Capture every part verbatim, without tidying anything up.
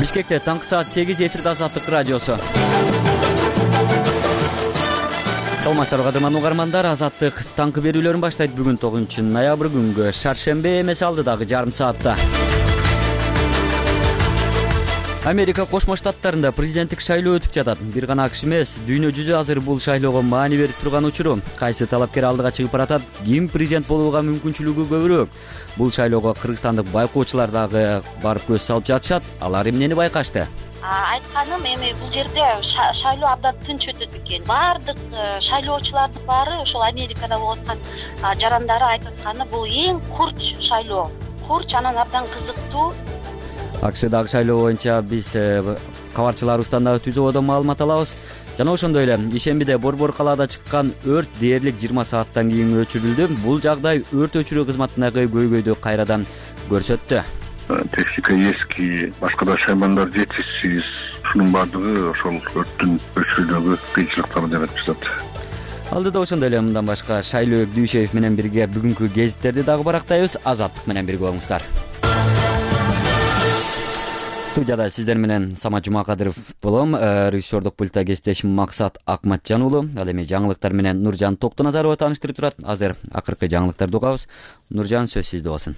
Бишкекте таңкы саат сегиз эфирде Азаттык радиосу. Саламатсыздарбы кадырман угармандар, Азаттык таңкы берүүлөрүн баштайт. Бүгүн тогузунчу ноябрь күнгө шаршембе эмес, алдыдагы жарым саатта. Америка Кошмо Штаттарында президенттик шайлоо өтүп жатат. Бир гана АКШ эмес, дүйнө жүзү азыр бул шайлоого маани берип турган учуру. Кайсы талапкер алдыга чыгып баратат, ким президент болууга мүмкүнчүлүгү көбүрөөк? Бул шайлоого кыргызстандык байкоочулар дагы барып көз салып жатышат. Алар эмнени байкашты? Айтканым, эми бул жерде шайлоо абдан тынч өтөт экен. Баардык шайлоочулардын баары ошол Америкада болуп аткан жарандары айтып атканы, бул эң курч шайлоо. Курч, анан абдан кызыктуу. АКШдагы шайлоо боюнча биз кабарчыларыбыздан дагы түзүүдөн маалымат алабыз. Жана ошондой эле ишембиде Борбор калаада чыккан өрт дээрлик жыйырма сааттан кийин өчүрүлдү. Бул жагдай өрт өчүрүү кызматындагы көйгөйдү кайрадан көрсөттү. Техника эски, башка да шаймандар жетишсиз. Ушунун баардыгы ошол өрттүн өчүрүүдөгү кыйынчылыктарды жаратып жатат. Алдыда ошондой эле мындан башка Шайлоо Дүйшеев менен бирге бүгүнкү гезиттерди дагы барактайбыз. Азаттык менен бирге болуңуздар. Студияда сиздер менен Самат Жумакадыров болом. Режиссердук пультта кесиптешим Максат Акматжан уулу. Ал эми жаңылыктар менен Нуржан Токтоназарова тааныштырып турат. Азыр акыркы жаңылыктарды угабыз. Нуржан, сөз сизде болсун.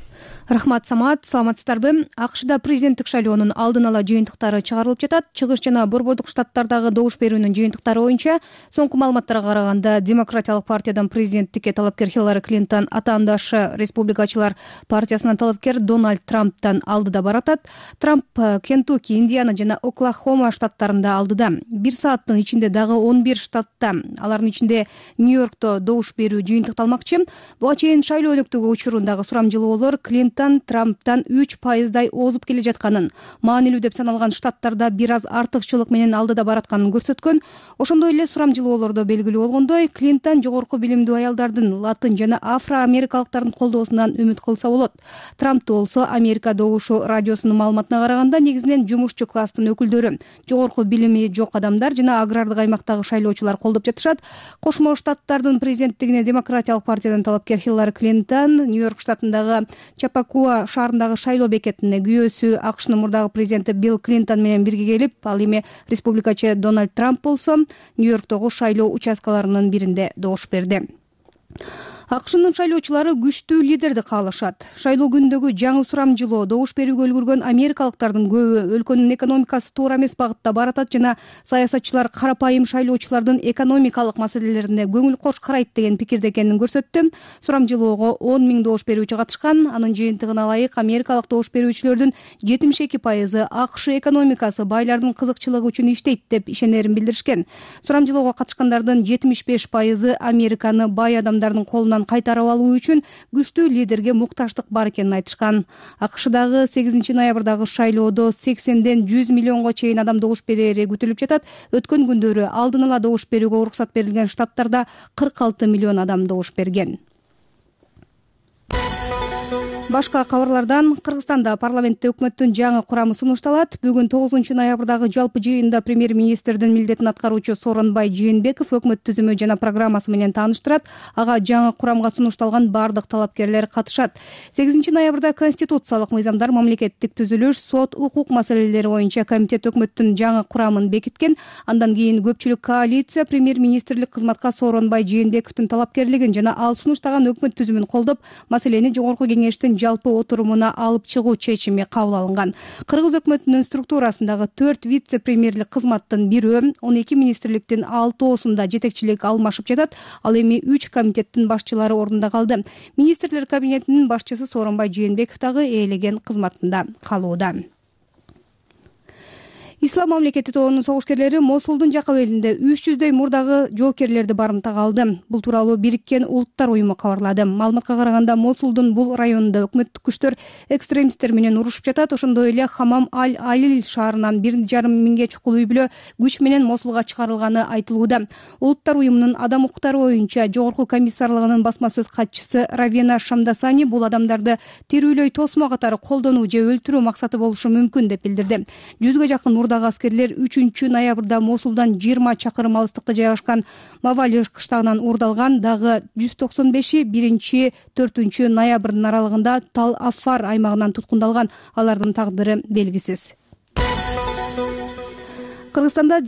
Рахмат, Самат. Саламатсыздарбы? АКШда президенттик шайлоонун алдын ала жыйынтыктары чыгарылып жатат. Чыгыш жана Борбордук Штаттардагы добуш берүүнүн жыйынтыктары боюнча соңку маалыматтарга караганда Демократиялык партиядан президенттикке талапкер Хиллари Клинтон, атаандашы Республикачылар партиясынан талапкер Дональд Трамптан алдыда баратат. Трамп Кентукки, Индиана жана Оклахома штаттарында алдыда. Бир сааттын ичинде дагы он бир штатта, алардын ичинде Нью-Йоркто добуш берүү жыйынтыкталмакчы. Буга чейин шайлоо өнөктүгү учурундагы сурамжылоолор Клинтон Трамптан үч пайыздай озуп келе жатканын, маанилүү деп саналган штаттарда бир аз артыкчылык менен алдыда баратканын көрсөткөн. Ошондой эле сурамжылоолордо белгилүү болгондой, Клинтон жогорку билимдүү аялдардын, латын жана афро-америкалыктардын колдоосунан үмүт кылса болот. Трампту болсо Америка добушу радиосунун маалыматына караганда негизинен жумушчу класстын өкүлдөрү, жогорку билими жок адамдар жана агрардык аймактагы шайлоочулар колдоп жатышат. Кошмо Штаттардын президенттигине Демократиялык партиядан талапкер Хиллари Клинтон Нью-Йорк штатындагы Чапакуа шаарындагы шайлоо бекетине күйөөсү АКШнын мурдагы президенти Билл Клинтон менен бирге келип, ал эми республикачы Дональд Трамп болсо Нью-Йорктогу шайлоо участкаларынын биринде добуш берди. АКШнын шайлоочулары күчтүү лидерди каалашат. Шайлоо күнүндөгү жаңы сурамжылоо добуш берүүгө үлгүргөн америкалыктардын көбү өлкөнүн экономикасы туура эмес багытта баратат жана саясатчылар карапайым шайлоочулардын экономикалык маселелерине көңүл кош карайт деген пикирде экенин көрсөттү. Сурамжылоого он миң добуш берүүчү катышкан. Анын жыйынтыгына ылайык америкалык добуш берүүчүлөрдүн жетимиш эки пайызы АКШ экономикасы байлардын кызыкчылыгы үчүн иштейт деп ишенерин билдиришкен. Сурамжылоого катышкандардын жетимиш беш пайызы Американы бай адамдардын колунан кайтарып алуу үчүн күчтүү лидерге мукташтык бар экенин айтышкан. АКШдагы сегизинчи ноябрдагы шайлоодо сексенден жүз миллионго чейин адам добуш берери күтүлүп жатат. Өткөн күндөрү алдын ала добуш берүүгө уруксат берилген штаттарда кырк алты миллион адам добуш берген. Башка кабарлардан Кыргызстанда парламентте өкмөттүн жаңы курамы сунушталат. Бүгүн тогузунчу ноябрдагы жалпы жыйында премьер-министрдин милдетин аткаруучу Сооронбай Жээнбеков өкмөт түзүмү жана программасы менен тааныштырат. Ага жаңы курамга сунушталган бардык талапкерлер катышат. сегизинчи ноябрда конституциялык мыйзамдар, мамлекеттик түзүлүш, сот, укук маселелери боюнча комитет өкмөттүн жаңы курамын бекиткен. Андан кийин көпчүлүк коалиция премьер-министрлик кызматка Сооронбай Жээнбековдун талапкерлигин жана ал сунуштаган өкмөт түзүмүн колдоп, маселени жогорку кеңештин жалпы отурумуна алып чыгуу чечими кабыл алынган. Кыргыз өкмөтүнүн структурасындагы төрт вице-премьерлик кызматтын бирөө, он эки министрликтин алтоосунда жетекчилик алмашып жатат. Ал эми үч комитеттин башчылары ордунда калды. Министрлер кабинетинин башчысы Сооронбай Жээнбеков дагы ээлеген кызматында калууда. Ислам мамлекети тобунун согушкерлери Мосулдун жакка белинде үч жүздөй мурдагы жоокерлерди барымтага алды. Бул тууралуу Бириккен Улуттар уюму кабарлады. Маалыматка караганда Мосулдун бул районунда өкмөттүк күчтөр экстремисттер менен урушуп жатат. Ошондой эле Хамам аль-Алил шаарынан бир жарым миңге чукул үй бүлө күч менен Мосулга чыгарылганы айтылууда. Улуттар уюмунун адам укуктары боюнча жогорку комиссарлыгынын басма сөз катчысы Равена Шамдасани бул адамдарды тирүүлөй тосмо катары колдонуу же өлтүрүү максаты болушу мүмкүн деп билдирди. Жүзгө жакын мурдагы аскерлер үчүнчү ноябрда Мосулдан жыйырма чакырым алыстыкта жайгашкан Мавали кыштагынан уурдалган. Дагы жүз токсон беши биринчи төртүнчү ноябрдын аралыгында Тал Афар аймагынан туткундалган. Алардын тагдыры белгисиз. Кыргызстанда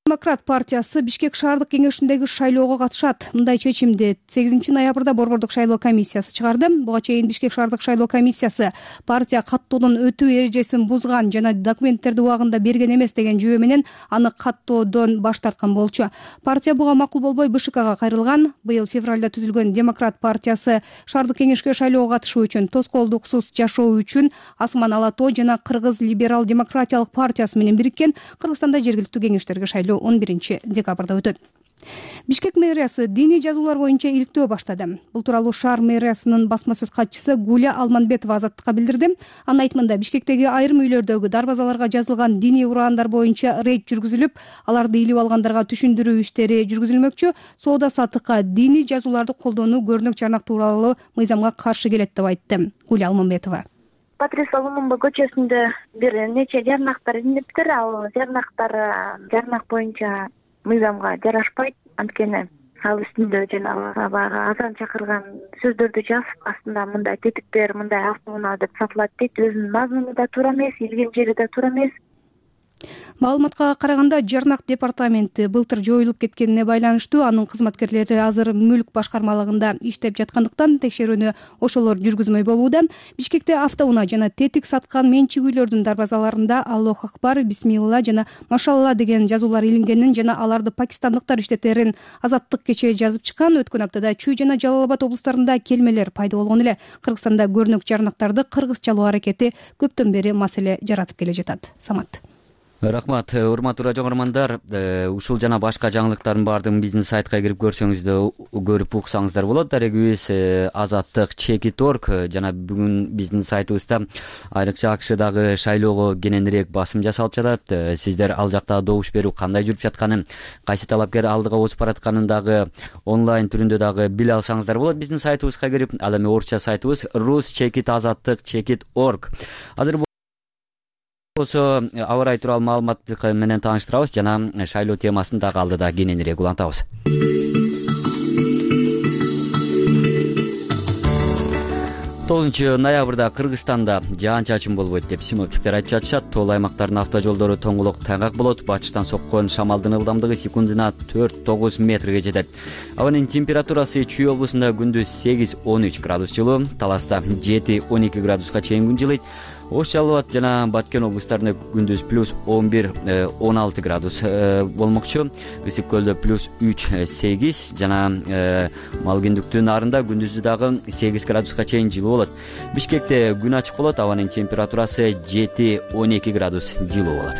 Демократ партиясы Бишкек шаардык кеңешиндеги шайлоого катышат. Мындай чечимди сегизинчи ноябрда Борбордук шайлоо комиссиясы чыгарды. Буга чейин Бишкек шаардык шайлоо комиссиясы партия каттоодон өтүү эрежесин бузган жана документтерди убагында берген эмес деген жүйө менен аны каттоодон баш тарткан болчу. Партия буга макул болбой БШКга кайрылган. Быйыл февралда түзүлгөн Демократ партиясы шаардык кеңешке шайлоого катышуу үчүн, тоскоолдуксуз жашоо үчүн Асман Алатоо жана Кыргыз либерал демократиялык партиясы менен бириккен. Кыргызстанда жергиликтүү кеңештерге шайлоо он биринчи декабрда өтөт. Бишкек мэриясы диний жазуулар боюнча иликтөө баштады. Бул тууралуу шаар мэриясынын басма сөз катчысы Гуля Алманбетова Азаттыкка билдирди. Анын айтымында Бишкектеги айрым үйлөрдөгү дарбазаларга жазылган диний ураандар боюнча рейд жүргүзүлүп, аларды илип алгандарга түшүндүрүү иштери жүргүзүлмөкчү. Соода саттыкка диний жазууларды колдонуу көрүнөк жарнак тууралуу мыйзамга каршы келет деп айтты Гуля Алманбетова. Патрис Лумумба көчөсүндө бир нече жарнактар илиниптир. Ал жарнактар жарнак боюнча мыйзамга жарашпайт. Анткени ал үстүндө жанагы баягы азан чакырган сөздөрдү жазып, астында мындай тетиктер, мындай автоунаа деп сатылат дейт. Өзүнүн мазмуну да туура эмес, илген жери да туура эмес. Маалыматка караганда жарнак департаменти былтыр жоюлуп кеткенине байланыштуу анын кызматкерлери азыр мүлк башкармалыгында иштеп жаткандыктан текшерүүнү ошолор жүргүзмөй болууда. Бишкекте автоунаа жана тетик саткан менчик үйлөрдүн дарбазаларында Аллох акбар, бисмилла жана машалла деген жазуулар илингенин жана аларды пакистандыктар иштетерин Азаттык кечээ жазып чыккан. Өткөн аптада Чүй жана Жалал Абад облустарында келмелер пайда болгон эле. Кыргызстанда көрүнөк жарнактарды кыргызчалоо аракети көптөн бери маселе жаратып келе жатат. Самат. Рахмат, урматтуу радио көрөрмандар. Ушул жана башка жаңылыктардын баардыгын биздин сайтка кирип көрсөңүздөр, көрүп уксаңыздар болот. Дарегибиз Азаттык чекит точка орг жана бүгүн биздин сайтыбызда айрыкча АКШдагы шайлоого кененирээк басым жасалып жатат. Сиздер ал жакта добуш берүү кандай жүрүп жатканын, кайсы талапкер алдыга өтүп баратканын дагы онлайн түрүндө дагы биле алсаңыздар болот. Биздин сайтыбызга кирип, ал эми орусча сайтыбыз рус чекит азаттык чекит точка орг. Азыр болсо аба ырайы тууралуу маалымат менен тааныштырабыз жана шайлоо темасын дагы алдыда кененирээк улантабыз. тогузунчу ноябрда Кыргызстанда жаан-чачын болбойт деп синоптиктер айтып жатышат. Тоол аймактардын автожолдору тоңголок тайгак болот. Батыштан соккон шамалдын ылдамдыгы секундуна төрт тогуз метрге жетет. Абанын температурасы Чүй облусунда күндүз сегиз он үч градус жылуу, Таласта жети он эки градуска чейин күн жылыйт. Ош, Жалал Абад жана Баткен облустарында күндүз плюс он бир он алты градус болмокчу. Ысык көлдө плюс үч сегиз жана Малгендүктүн нарында күндүзү дагы сегиз градуска чейин жылуу болот. Бишкекте күн ачык болот, абанын температурасы жети он эки градус жылуу болот.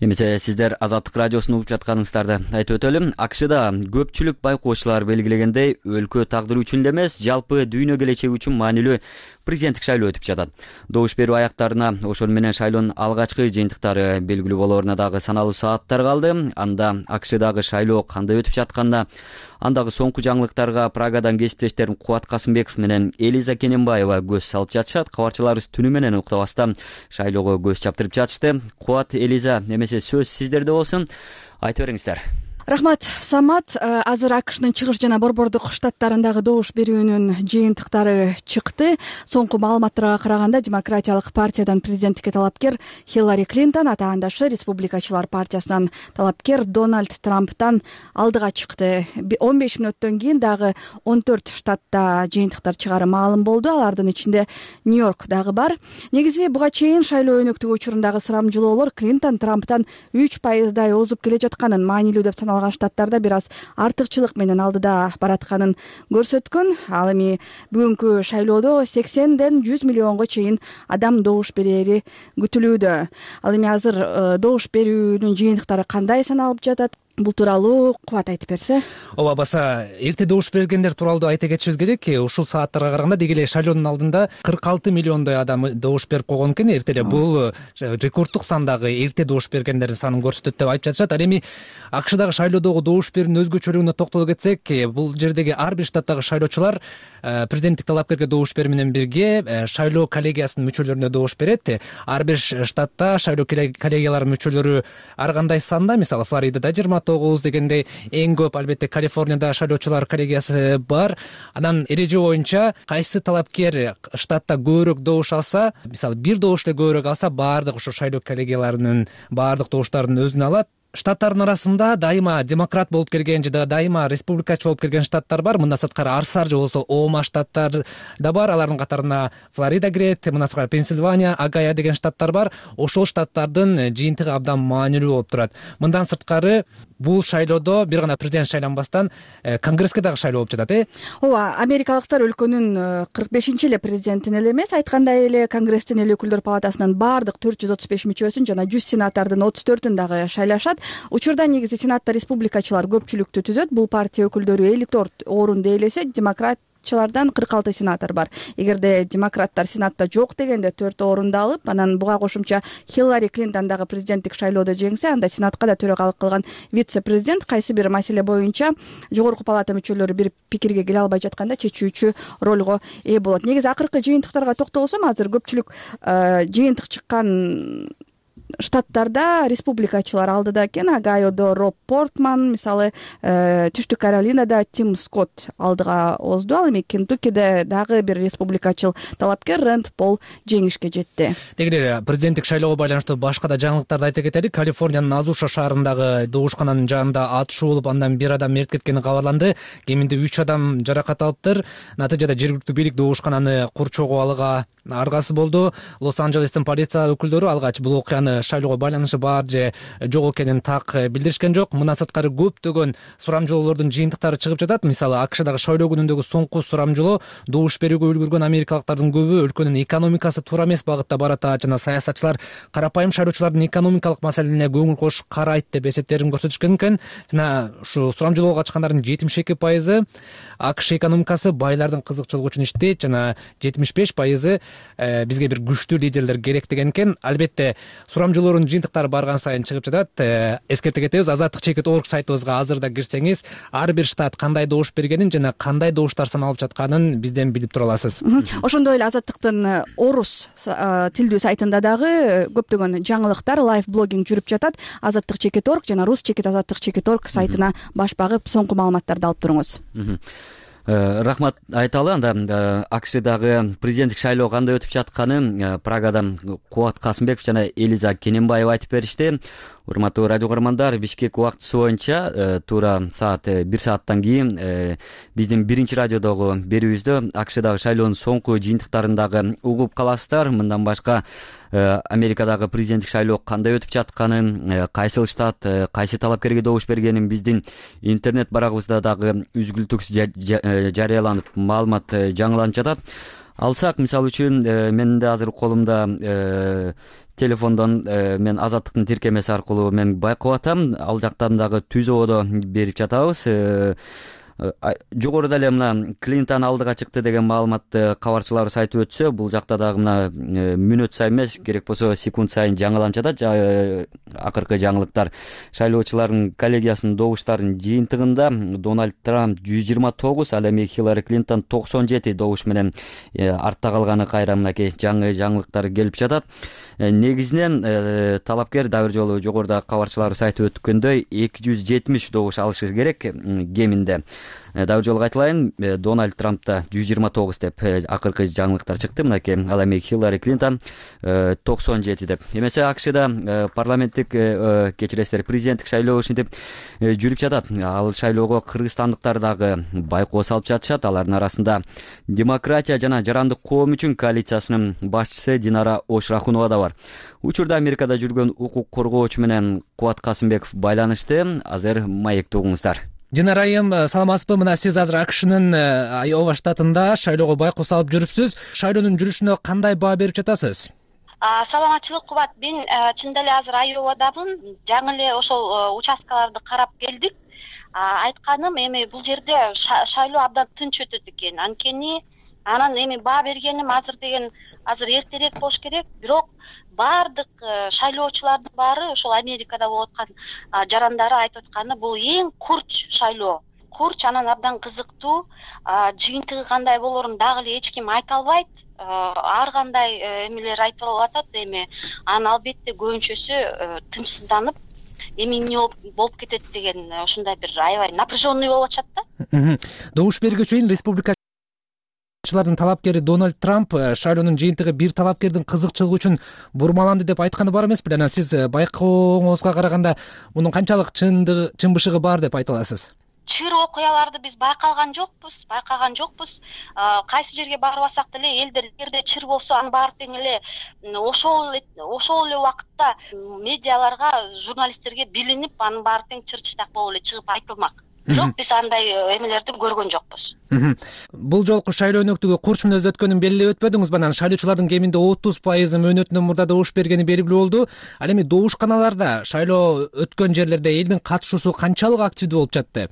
Эмесе сиздер Азаттык радиосун угуп жатканыңыздарды айтып өтөлүм. АКШда көпчүлүк байкоочулар белгилегендей, өлкө тагдыры үчүн эле эмес, жалпы дүйнө келечеги үчүн маанилүү президенттик шайлоо өтүп жатат. Добуш берүү аяктарына, ошол менен шайлоонун алгачкы жыйынтыктары белгилүү болооруна дагы саналуу сааттар калды. Анда АКШдагы шайлоо кандай өтүп жатканда, андагы соңку жаңылыктарга Прагадан кесиптештерим Кубат Касымбеков менен Элиза Кененбаева көз салып жатышат. Кабарчыларыбыз түнү менен уктабастан шайлоого көз чаптырып жатышты. Кубат, Элиза, эмесе сөз сиздерде болсун. Айтып бериңиздер. Рахмат, Самат. Азыр АКШнын чыгыш жана борбордук штаттарындагы добуш берүүнүн жыйынтыктары чыкты. Соңку маалыматтарга караганда Демократиялык партиядан президенттикке талапкер Хиллари Клинтон, атаандашы Республикачылар партиясынан талапкер Дональд Трамптан алдыга чыкты. он беш мүнөттөн кийин дагы он төрт штатта жыйынтыктар чыгары маалым болду. Алардын ичинде Нью-Йорк дагы бар. Негизи буга чейин шайлоо өнөктүгү учурундагы sıрамжылоолор Клинтон Трамптан үч пайыздай озуп келе жатканын, маанилүү деп саналган штаттарда бир аз артыкчылык менен алдыда баратканын көрсөткөн. Ал эми бүгүнкү шайлоодо сексенден жүз миллионго чейин адам добуш берери күтүлүүдө. Ал эми азыр добуш берүүнүн жыйынтыктары кандай саналып жатат? Бул тууралуу Кубат айтып берсе. Ооба, баса эрте добуш бергендер тууралуу айта кетишибиз керек. Ушул сааттарга караганда деги эле шайлоонун алдында кырк алты миллиондой адам добуш берип койгон экен. Эртеле бул рекорддук сандагы эрте добуш бергендердин санын көрсөтөт деп айтып жатышат. Ал эми АКШдагы шайлоодогу добуш берүүнүн өзгөчөлүгүнө токтоло кетсек, бул жердеги ар бир штаттагы шайлоочулар президенттик талапкерге добуш берүү менен бирге шайлоо коллегиясынын мүчөлөрүнө добуш берет. Ар бир штатта шайлоо коллегияларынын мүчөлөрү ар кандай санда, мисалы Флоридада жыйырма тогуз дегендей эң көп албетте Калифорнияда шайлоочулар коллегиясы бар. Анан эреже боюнча кайсы талапкер штатта көбүрөөк добуш алса, мисалы бир добуш эле көбүрөөк алса, баардык ошо шайлоо коллегияларынын баардык добуштарын өзүнө алат. Штаттардын арасында дайыма демократ болуп келген жана дайыма республикачы болуп келген штаттар бар. Мындан сырткары арсар же болбосо оома штаттар да бар. Алардын катарына Флорида кирет, мындан сырткары Пенсильвания, Огайо деген штаттар бар. Ошол штаттардын жыйынтыгы абдан маанилүү болуп турат. Мындан сырткары бул шайлоодо бир гана президент шайланбастан конгресске дагы шайлоо болуп жатат, э? Ооба, америкалыктар өлкөнүн кырк бешинчи эле президентин эле эмес, айткандай эле Конгресстин эл өкүлдөр палатасынын баардык төрт жүз отуз беш мүчөсүн жана жүз сенатардын отуз төртүн дагы шайлашат. Учурда негизи сенатта республикачылар көпчүлүктү түзөт. Бул партия өкүлдөрү элүү төрт орунду ээлесе, демократчылардан кырк алты сенатор бар. Эгерде демократтар сенатта жок дегенде төрт орунду алып, анан буга кошумча Хиллари Клинтон дагы президенттик шайлоодо жеңсе, анда сенатка да төрагалык кылган вице-президент кайсы бир маселе боюнча жогорку палата мүчөлөрү бир пикирге келе албай жатканда чечүүчү ролго ээ болот. Негизи акыркы жыйынтыктарга токтолсом, азыр көпчүлүк жыйынтык чыккан штаттарда республикачылар алдыда экен. Огайодо Роб Портман, мисалы, Түштүк Каролинада Тим Скотт алдыга озду. Ал эми Кентуккиде дагы бир республикачыл талапкер Рэнд Пол жеңишке жетти. Деги эле президенттик шайлоого байланыштуу башка да жаңылыктарды айта кетели. Калифорниянын Азуша шаарындагы добушкананын жанында атышуу болуп, андан бир адам мерт кеткени кабарланды. Кеминде үч адам жаракат алыптыр. Натыйжада жергиликтүү бийлик добушкананы курчоого алууга аргасы болду. Лос-Анджелестин полиция өкүлдөрү алгач бул окуяны шайлоого байланышы бар же жок экенин так билдиришкен жок. Мындан сырткары көптөгөн сурамжылоолордун жыйынтыктары чыгып жатат. Мисалы, АКШдагы шайлоо күнүндөгү соңку сурамжылоо добуш берүүгө үлгүргөн америкалыктардын көбү өлкөнүн экономикасы туура эмес багытта баратат жана саясатчылар карапайым шайлоочулардын экономикалык маселелерине көңүл кош карайт деп эсептерин көрсөтүшкөн экен. Жана ушу сурамжылоого катышкандардын жетимиш эки пайызы АКШ экономикасы байлардын кызыкчылыгы үчүн иштейт жана жетимиш беш пайызы бизге бир күчтүү лидерлер керек деген экен. Албетте сурамжылоордун жыйынтыктары барган сайын чыгып жатат. Эскерте кетебиз, азаттык чекит орг сайтыбызга азырда кирсеңиз, ар бир штат кандай добуш бергенин жана кандай добуштар саналып жатканын бизден билип тура аласыз. Ошондой эле азаттыктын орус тилдүү сайтында дагы көптөгөн жаңылыктар, лайв блогинг жүрүп жатат. азаттык чекит орг жана рус чекит азаттык чекит орг сайтына баш багып, соңку маалыматтарды алып туруңуз. Рахмат айталы. Анда АКШдагы президенттик шайлоо кандай өтүп жатканын Прагадан Кубат Касымбеков жана Элиза Кененбаева айтып беришти. Урматтуу радио көрөрмандар, Бишкек убактысы боюнча туура саат бир сааттан кийин биздин биринчи радиодогу берүүбүздө АКШдагы шайлоонун соңку жыйынтыктарын дагы угуп каласыздар. Мындан башка Америкадагы президенттик шайлоо кандай өтүп жатканын, кайсыл штат кайсы талапкерге добуш бергенин биздин интернет барагыбызда дагы үзгүлтүксүз жарыяланып, маалымат жаңыланып жатат. Алсак, мисалы үчүн, менин да азыр колумда телефондон мен азаттыктын тиркемеси аркылуу мен байкап атам. Ал жактан дагы түзөдө берип жатабыз. Жогоруда эле мына Клинтон алдыга чыкты деген маалыматты кабарчыларыбыз айтып өтсө, бул жакта дагы мына мүнөт сайын эмес, керек болсо секунд сайын жаңыланып жатат. Акыркы жаңылыктар шайлоочулардын коллегиясынын добуштарынын жыйынтыгында Дональд Трамп жүз жыйырма тогуз, ал эми Хиллари Клинтон токсон жети добуш менен артта калганы кайра мынакей жаңы жаңылыктар келип жатат. Негизинен талапкер дагы бир жолу жогоруда кабарчыларыбыз айтып өткөндөй эки жүз жетимиш добуш алышы керек кеминде. Дагы бир жолу кайталайын, Дональд Трампта жүз жыйырма тогуз деп акыркы жаңылыктар чыкты. Мынакей ал эми Хиллари Клинтон токсон жети деп. Эмесе АКШда парламенттик кечиресиздер президенттик шайлоо ушинтип жүрүп жатат. Ал шайлоого кыргызстандыктар дагы байкоо салып жатышат. Алардын арасында Демократия жана Жарандык коом үчүн коалициясынын башчысы Динара Ошрахунова да бар. Учурда Америкада жүргөн укук коргоочу менен Кубат Касымбеков байланышты. Азыр маекти угуңуздар. Динара айым, саламатсызбы? Мына сиз азыр АКШнын Айова штатында шайлоого байкоо салып жүрүпсүз. Шайлоонун жүрүшүнө кандай баа берип жатасыз? Саламатчылык, Кубат. Мен чындап эле азыр Айовадамын. Жаңы эле ошол участкаларды карап келдик. Айтканым, эми бул жерде шайлоо абдан тынч өтөт экен. Анткени анан эми баа бергеним азыр деген азыр эртерээк болуш керек. Бирок баардык шайлоочулардын баары ошол Америкада болуп аткан жарандары айтып атканы бул эң курч шайлоо. Курч, анан абдан кызыктуу. Жыйынтыгы кандай болорун дагы эле эч ким айта албайт. Ар кандай эмелер айтылып атат эми. Анын албетте көбүнчөсү тынчсызданып эми эмне болуп кетет деген ушундай бир аябай напряженный болуп атышат да. Добуш бергенге чейин республика чылардын талапкери Дональд Трамп шайлоонун жыйынтыгы бир талапкердин кызыкчылыгы үчүн бурмаланды деп айтканы бар эмес беле? Анан сиз байкооңузга караганда мунун канчалык чындыгы, чын-бышыгы бар деп айта аласыз? Чыр окуяларды биз байкаган жокпуз, байкаган жокпуз. Кайсы жерге барбасак деле элдер эгерде чыр болсо анын баары тең эле ошол ошол эле убакытта медиаларга, журналисттерге билинип, анын баары тең чыр-чытак болуп эле чыгып айтылмак. Бирок биз андай эмелерди көргөн жокпуз. Бул жолку шайлоо өнөктүгү курч мүнөздө өткөнүн белгилеп өтпөдүңүзбү? Анан шайлоочулардын кеминде отуз пайызы мөөнөтүнөн мурда добуш бергени белгилүү болду. Ал эми добушканаларда шайлоо өткөн жерлерде элдин катышуусу канчалык активдүү болуп жатты?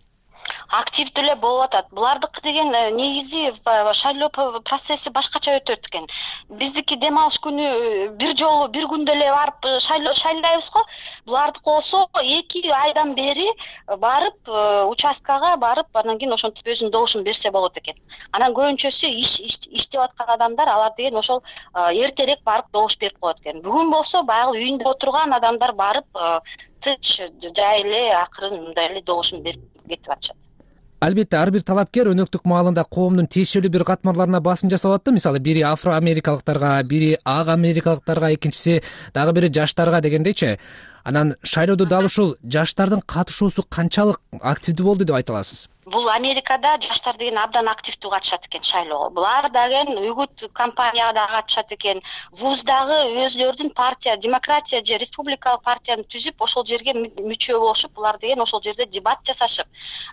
Активдүү эле болуп атат. Булардыкы деген негизи шайлоо процесси башкача өтөт экен. Биздики дем алыш күнү бир жолу бир күндө эле барып шайлоо шайлайбыз го. Булардыкы болсо эки айдан бери барып участкага барып, анан кийин ошентип өзүнүн добушун берсе болот экен. Анан көбүнчөсү иш иштеп аткан адамдар, алар деген ошол эртерээк барып добуш берип коет экен. Бүгүн болсо баягы үйүндө отурган адамдар барып тынч жай эле акырын мындай эле добушун берип кетип атышат. Албетте ар бир талапкер өнөктүк маалында коомдун тиешелүү бир катмарларына басым жасап атты. Мисалы бири афро-америкалыктарга, бири ак америкалыктарга, экинчиси дагы бири жаштарга дегендейчи. Анан шайлоодо дал ушул жаштардын катышуусу канчалык активдүү болду деп айта аласыз? Бул Америкада жаштар деген абдан активдүү катышат экен шайлоого. Булар деген үгүт кампанияга катышат экен. Вуздагы өзлөрүнүн партия, демократия же республикалык партияны түзүп, ошол жерге мүчө болушуп, булар деген ошол жерде дебат жасашып,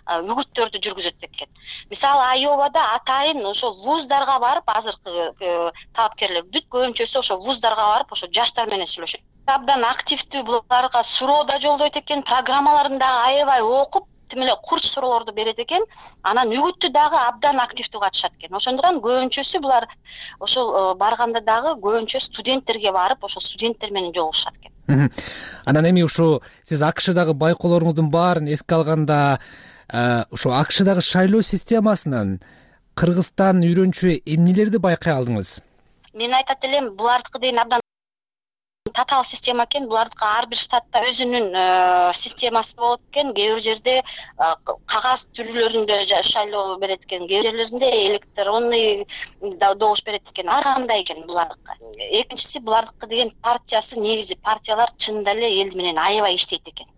үгүттөрдү жүргүзөт экен. Мисалы Айовада атайын ошол вуздарга барып, азыркы талапкерлер бүт көбүнчөсү ошол вуздарга барып, ошол жаштар менен сүйлөшөт. Абдан активдүү, буларга суроо да жолдойт экен, программаларын дагы аябай окуп, тим эле курч суроолорду берет экен. Анан үгүттү дагы абдан активдүү катышат экен. Ошондуктан көбүнчөсү булар ошол барганда дагы көбүнчө студенттерге барып, ошол студенттер менен жолугушат экен. Анан эми ушу сиз АКШдагы байкоолоруңуздун баарын эске алганда, ушу АКШдагы шайлоо системасынан Кыргызстан үйрөнчү эмнелерди байкай алдыңыз? Мен айтат элем, булардыкы деген абдан татаал система экен. Булардыкы ар бир штатта өзүнүн системасы болот экен. Кээ бир жерде кагаз түрүлөрүндө шайлоо берет экен, кээ бир жерлеринде электронный добуш берет экен. Ар кандай экен булардыкы. Экинчиси, булардыкы деген партиясы, негизи партиялар чынында эле эл менен аябай иштейт экен.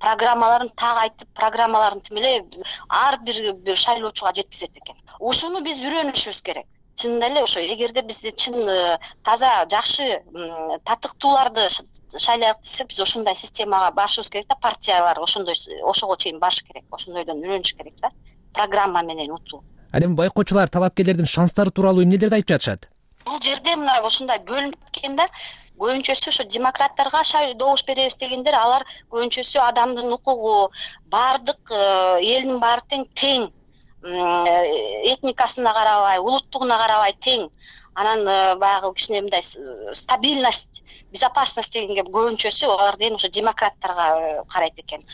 Программаларын так айтып, программаларын тим эле ар бир бир шайлоочуга жеткизет экен. Ушуну биз үйрөнүшүбүз керек. Чынында эле ошо эгерде бизде чын таза жакшы татыктууларды шайлайык десек, биз ошондой системага барышыбыз керек да, партиялар ошондой ошого чейин барыш керек, ошондойдон үйрөнүш керек да, программа менен утуу. Ал эми байкоочулар талапкерлердин шанстары тууралуу эмнелерди айтып жатышат? Бул жерде мына ушундай бөлүнүп кеткен да, көбүнчөсү ошо демократтарга шайлоо добуш беребиз дегендер, алар көбүнчөсү адамдын укугу, баардык элдин баары тең тең, этникасына карабай, улуттугуна карабай тең. Анан баягы кичине мындай стабильность, безопасность дегенге көбүнчөсү алар деген ошо демократтарга карайт экен.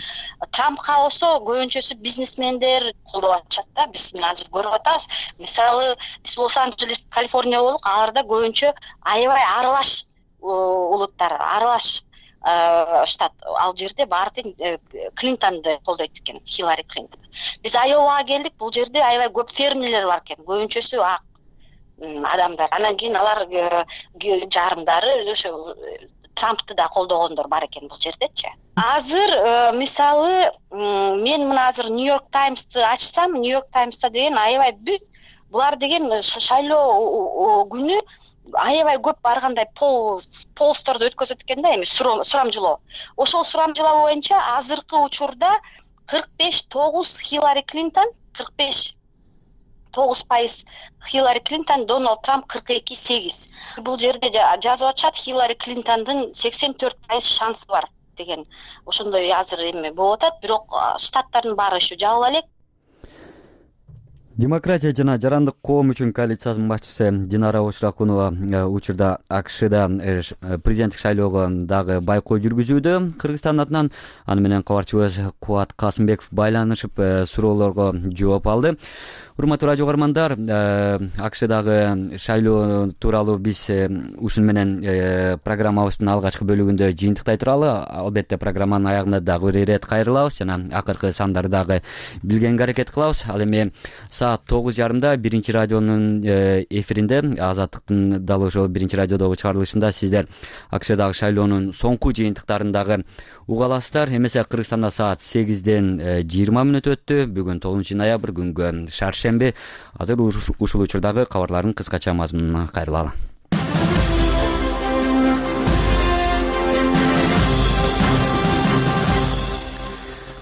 Трампка болсо көбүнчөсү бизнесмендер колдоп атышат да, биз мына азыр көрүп атабыз. Мисалы, биз Лос-Анджелес, Калифорния болдук, аларда көбүнчө аябай аралаш улуттар, аралаш штат. Ал жерде баары тең Клинтонду колдойт экен, Хиллари Клинтон. Биз Айовага келдик, бул жерде аябай көп фермерлер бар экен, көбүнчөсү ак адамдар. Анан кийин алар жарымдары ошо Трампты да колдогондор бар экен бул жердечи. Азыр мисалы мен мына азыр Нью-Йорк Таймсты ачсам, Нью-Йорк Таймста деген аябай бүт булар деген шайлоо күнү аябай көп баргандай пол полсторду өткөзөт экен да, эми сурамжылоо. Ошол сурамжылоо боюнча азыркы учурда кырк беш тогуз Хиллари Клинтон, кырк беш тогуз пайыз Хиллари Клинтон, Дональд Трамп кырк эки сегиз. Бул жерде жазып атышат, Хиллари Клинтондун сексен төрт пайыз шансы бар деген. Ошондой азыр эми болуп атат, бирок штаттардын баары еще жабыла элек. Демократия жана жарандык коом үчүн коалициясынын башчысы Динара Ошракунова учурда АКШда президенттик шайлоого дагы байкоо жүргүзүүдө. Кыргызстан атынан аны менен кабарчыбыз Кубат Касымбеков байланышып суроолорго жооп алды. Урматтуу радио көрөрмандар, АКШдагы шайлоо тууралуу биз ушуну менен программабыздын алгачкы бөлүгүндө жыйынтыктай туралы. Албетте программанын аягында дагы бир ирет кайрылабыз жана акыркы сандарды дагы билгенге аракет кылабыз. Ал эми саат тогуз жарымда биринчи радионун эфиринде, Азаттыктын дал ошол биринчи радиодогу чыгарылышында сиздер АКШдагы шайлоонун соңку жыйынтыктарын дагы уга аласыздар. Эмесе Кыргызстанда саат сегизден жыйырма мүнөт өттү. Бүгүн тогузунчу ноябрь, күнгө шаршемби. Азыр ушул учурдагы кабарлардын кыскача мазмунуна кайрылалы.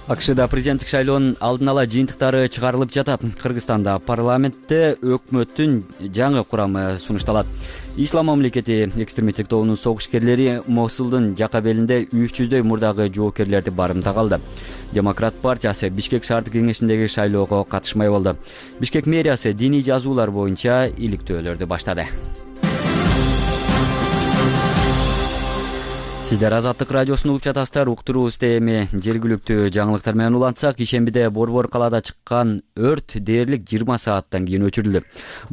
АКШда президенттик шайлоонун алдын ала жыйынтыктары чыгарылып жатат. Кыргызстанда парламентте өкмөттүн жаңы курамы сунушталат. Ислам мамлекети экстремисттик тобунун согушкерлери Мосулдун жака белинде үч жүздөй мурдагы жоокерлерди барымтага алды. Демократ партиясы Бишкек шаардык кеңешиндеги шайлоого катышмай болду. Бишкек мэриясы диний жазуулар боюнча иликтөөлөрдү баштады. Сиздер Азаттык радиосун угуп жатасыздар. Уктуруубузда эми жергиликтүү жаңылыктар менен улантсак, ишембиде Борбор калаада чыккан өрт дээрлик жыйырма сааттан кийин өчүрүлдү.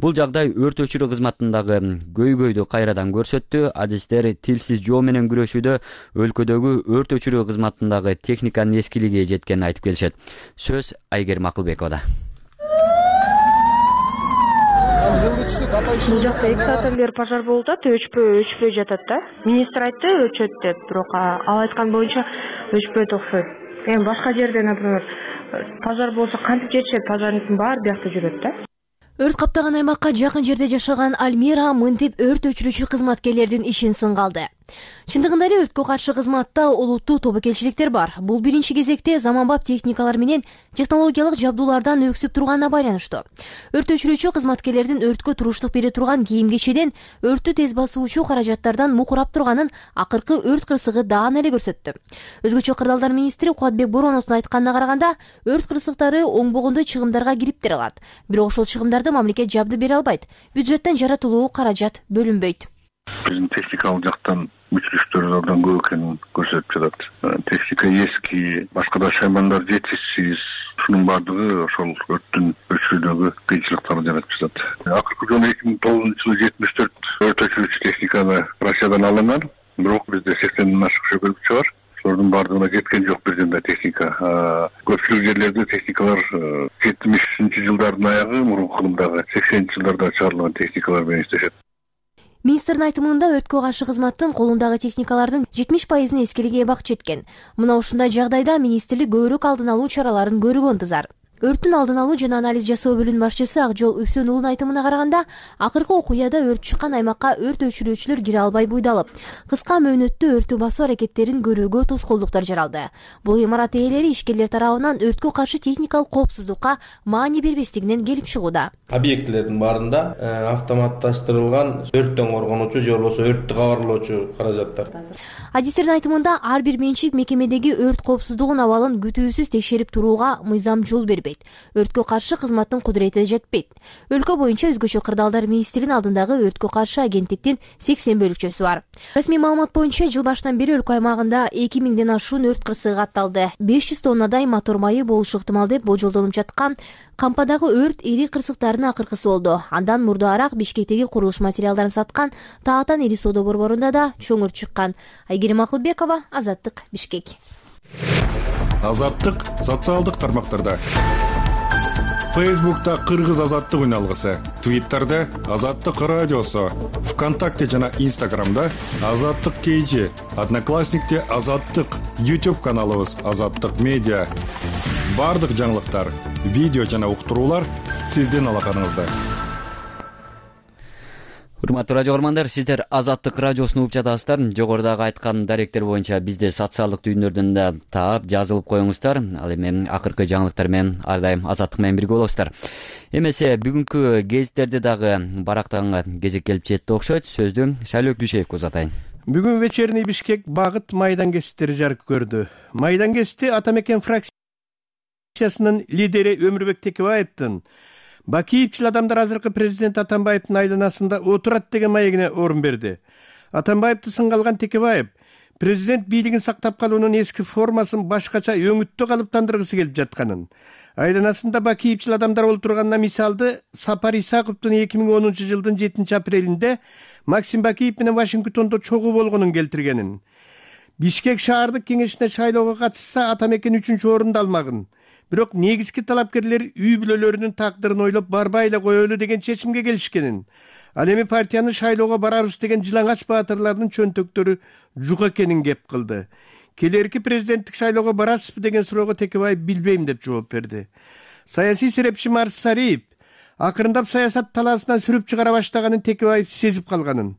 Бул жагдай өрт өчүрүү кызматындагы көйгөйдү кайрадан көрсөттү. Адистер тилсиз жоо менен күрөшүүдө өлкөдөгү өрт өчүрүү кызматындагы техниканын эскилиги жеткенин айтып келишет. Сөз Айгерим Акылбековада. Бул жакта эки сааттан бери пожар болуп атат, өчпөй өчпөй жатат да. Министр айтты өчөт деп, бирок ал айткан боюнча өчпөйт окшойт. Эми башка жерде, например, пожар болсо кантип жетишет, пожарниктин баары биякта жүрөт да. Өрт каптаган аймакка жакын жерде жашаган Альмира мынтип өрт өчүрүүчү кызматкерлердин ишин сынга алды. Чындыгында эле өрткө каршы кызматта олуттуу тобокелчиликтер бар. Бул биринчи кезекте заманбап техникалар менен технологиялык жабдуулардан өксүп турганына байланыштуу. Өрт өчүрүүчү кызматкерлердин өрткө туруштук бере турган кийим-кечеден өрттү тез басуучу каражаттардан мукурап турганын акыркы өрт кырсыгы даана эле көрсөттү. Өзгөчө кырдаалдар министри Кубатбек Бороновдун айтканына караганда, өрт кырсыктары оңбогондой чыгымдарга кириптер алат. Бирок ошол чыгымдарды мамлекет жабды бере албайт. Бюджеттен жаратылуу каражат бөлүнбөйт. Биздин техникалык жактан мүчүлүктөр абдан көп экенин көрсөтүп жатат. Техника эски, башка да шаймандар жетишсиз. Шунун баардыгы ошол өрттүн өчүрүүдөгү кыйынчылыктарды жаратып жатат. Акыркы жолу эки миң тогузунчу жылы жетимиш төрт өрт өчүрүүчү техниканы Россиядан алынган. Бирок бизде сексенден ашык шөкөлүкчү бар. Ошолордун баардыгына жеткен жок бир жанда техника. Көпчүлүк жерлерде техникалар жетимишинчи жылдардын аягы, мурунку кылымдагы сексенинчи жылдарда чыгарылган техникалар менен иштешет. Министрдин айтымында өрткө каршы кызматтын колундагы техникалардын жетимиш пайызын эскилиги эбак жеткен. Мына ушундай жагдайда министрлик көбүрөөк алдын алуу чараларын көрүүгө ынтызар. Өрттүн алдын алуу жана анализ жасоо бөлүмүнүн башчысы Акжол Үсөн уулунун айтымына караганда, акыркы окуяда өрт чыккан аймакка өрт өчүрүүчүлөр кире албай буйдалып, кыска мөөнөттө өрттү басуу аракеттерин көрүүгө тоскоолдуктар жаралды. Бул имарат ээлери ишкерлер тарабынан өрткө каршы техникалык коопсуздукка маани бербестигинен келип чыгууда. Объектилердин баарында автоматташтырылган өрттөн коргонуучу же болбосо өрттү кабарлоочу каражаттар. Адистердин айтымында ар бир менчик мекемедеги өрт коопсуздугунун абалын күтүүсүз текшерип турууга мыйзам жол бербейт. Өрткө каршы кызматтын кудурети жетпейт. Өлкө боюнча өзгөчө кырдаалдар министринин алдындагы өрткө каршы агенттиктин сексен бөлүкчөсү бар. Расмий маалымат боюнча жыл башынан бери өлкө аймагында эки миңден ашуун өрт кырсыгы катталды. беш жүз тоннадай мотор майы болушу ыктымал деп болжолдонуп жаткан кампадагы өрт ири кырсыктардын акыркысы болду. Андан мурдаараак Бишкектеги курулуш материалдарын саткан Таатан ири соода борборунда да чоң өрт чыккан. Айгерим Акылбекова, Азаттык, Бишкек. Азаттык социалдык тармактарда. Фейсбукта Кыргыз азаттык үналгысы, Твиттерде Азаттык радиосу, ВКонтакте жана Инстаграмда Азаттык кейжи, Одноклассникте Азаттык, YouTube каналыбыз Азаттык медиа. Бардык жаңылыктар, видео жана уктуруулар сиздин алаканыңызда. Урматтуу радио көрөрмандар, сиздер Азаттык радиосун угуп жатасыздар. Жогорудагы айткан даректер боюнча бизде социалдык түйүндөрдөн да таап, жазылып коюңуздар. Ал эми акыркы жаңылыктар менен ар дайым Азаттык менен бирге болосуздар. Эмесе бүгүнкү гезиттерде дагы барактанга кезек келип жетти окшойт. Сөздү Шайлоо Дүйшеевге узатайын. Бүгүн вечерний Бишкек багыт майдан гезиттери жарык көрдү. Майдан гезити Ата мекен фракциясынын лидери Өмүрбек Текебаевдин Бакиевчил адамдар азыркы президент Атамбаевдин айланасында отурат деген маегине орун берди. Атамбаевди сынга алган Текебаев президент бийлигин сактап калуунун эски формасын башкача өңүттө калыптандыргысы келип жатканын, айланасында бакиевчил адамдар олтурганына мисалды Сапар Исаковдун эки миң онунчу жылдын жетинчи апрелинде Максим Бакиев менен Вашингтондо чогуу болгонун келтиргенин, Бишкек шаардык кеңешине шайлоого катышса Атамекен үчүнчү орунду алмагын, бирок негизги талапкерлер үй бүлөлөрүнүн тагдырын ойлоп барбай эле коелу деген чечимге келишкенин, ал эми партияны шайлоого барабыз деген жылаңач баатырлардын чөнтөктөрү жук экенин кеп кылды. Келерки президенттик шайлоого барасызбы деген суроого Текебаев билбейм деп жооп берди. Саясий серепчи Марс Сариев акырындап саясат талаасынан сүрүп чыгара баштаганын Текебаев сезип калганын,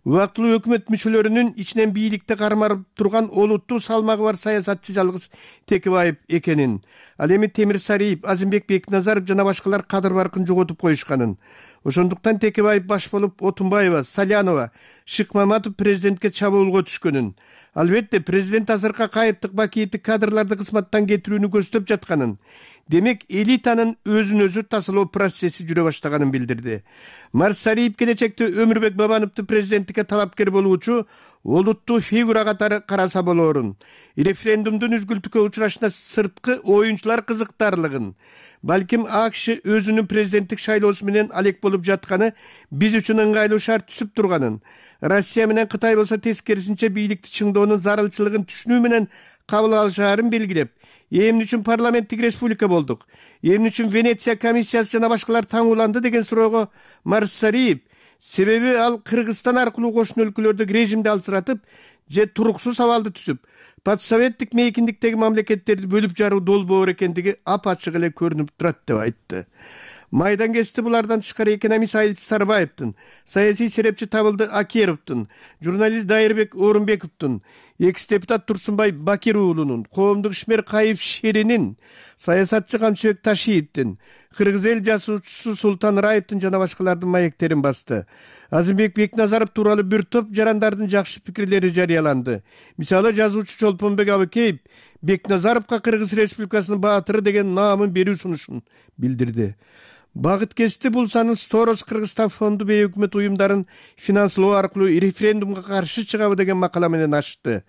убактылуу өкмөт мүчөлөрүнүн ичинен бийликти кармарып турган олуттуу салмагы бар саясатчы жалгыз Текебаев экенин, ал эми Темир Сариев, Азимбек Бекназаров жана башкалар кадыр баркын жоготуп коюшканын, ошондуктан Текебаев баш болуп Отунбаева, Салянова, Шыкмаматов президентке чабуулга түшкөнүн, албетте президент азыркы кайыптык Бакиевдик кадрларды кызматтан кетирүүнү көздөп жатканын, демек элитанын өзүн өзү тасалоо процесси жүрө баштаганын билдирди. Марс Сариев келечекте Өмүрбек Бабановду президенттикке талапкер болуучу олуттуу фигура катары караса болоорун, референдумдун үзгүлтүккө учурашына сырткы оюнчулар кызыктарлыгын, балким АКШ өзүнүн президенттик шайлоосу менен алек болуп жатканы биз үчүн ыңгайлуу шарт түзүп турганын, Россия менен Кытай болсо тескерисинче бийликти чыңдоонун зарылчылыгын түшүнүү менен кабыл алышаарын белгилеп, эмне үчүн парламенттик республика болдук, эмне үчүн Венеция комиссиясы жана башкалар таңууланды деген суроого Марс Сариев, себеби ал Кыргызстан аркылуу кошуна өлкөлөрдөгү режимди алсыратып же туруксуз абалды түзүп, подсоветтик мейкиндиктеги мамлекеттерди бөлүп жаруу долбоор экендиги апачык эле көрүнүп турат деп айтты. Майдан кести булардан тышкары экономист Айылчы Сарбаевдин, саясий серепчи Табылды Акеровдун, журналист Дайырбек Орунбековдун, экс-депутат Турсунбай Бакир уулунун, коомдук ишмер Кайып Шеринин, саясатчы Камчыбек Ташиевдин, кыргыз эл жасуучусу Султан Раевдин жана башкалардын маектерин басты. Азимбек Бекназаров тууралуу бир топ жарандардын жакшы пикирлери жарыяланды. Мисалы, жазуучу Чолпонбек Абыкеев Бекназаровго Кыргыз Республикасынын баатыры деген наамын берүү сунушун билдирди. Багыт кести булсанын Сорос Кыргызстан фонду бейөкмөт уюмдарын финанслоо аркылуу референдумга каршы чыгабы деген макала менен ачты.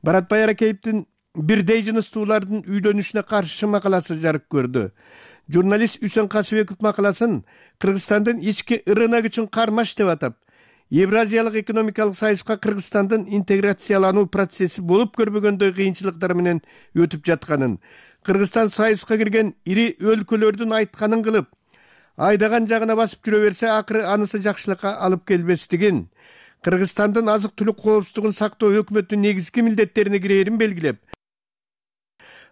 Баратбай Аракеевдин бирдей жыныстуулардын үйлөнүшүнө каршы макаласы жарык көрдү. Журналист Үсөн Касыбеков макаласын Кыргызстандын ички рынок үчүн кармаш деп атап, Евразиялык экономикалык союзга Кыргызстандын интеграциялануу процесси болуп көрбөгөндөй кыйынчылыктар менен өтүп жатканын, Кыргызстан союзга кирген ири өлкөлөрдүн айтканын кылып, айдаган жагына басып жүрө берсе, акыры анысы жакшылыкка алып келбестигин, Кыргызстандын азык түлүк коопсуздугун сактоо өкмөттүн негизги милдеттерине кирээрин белгилеп,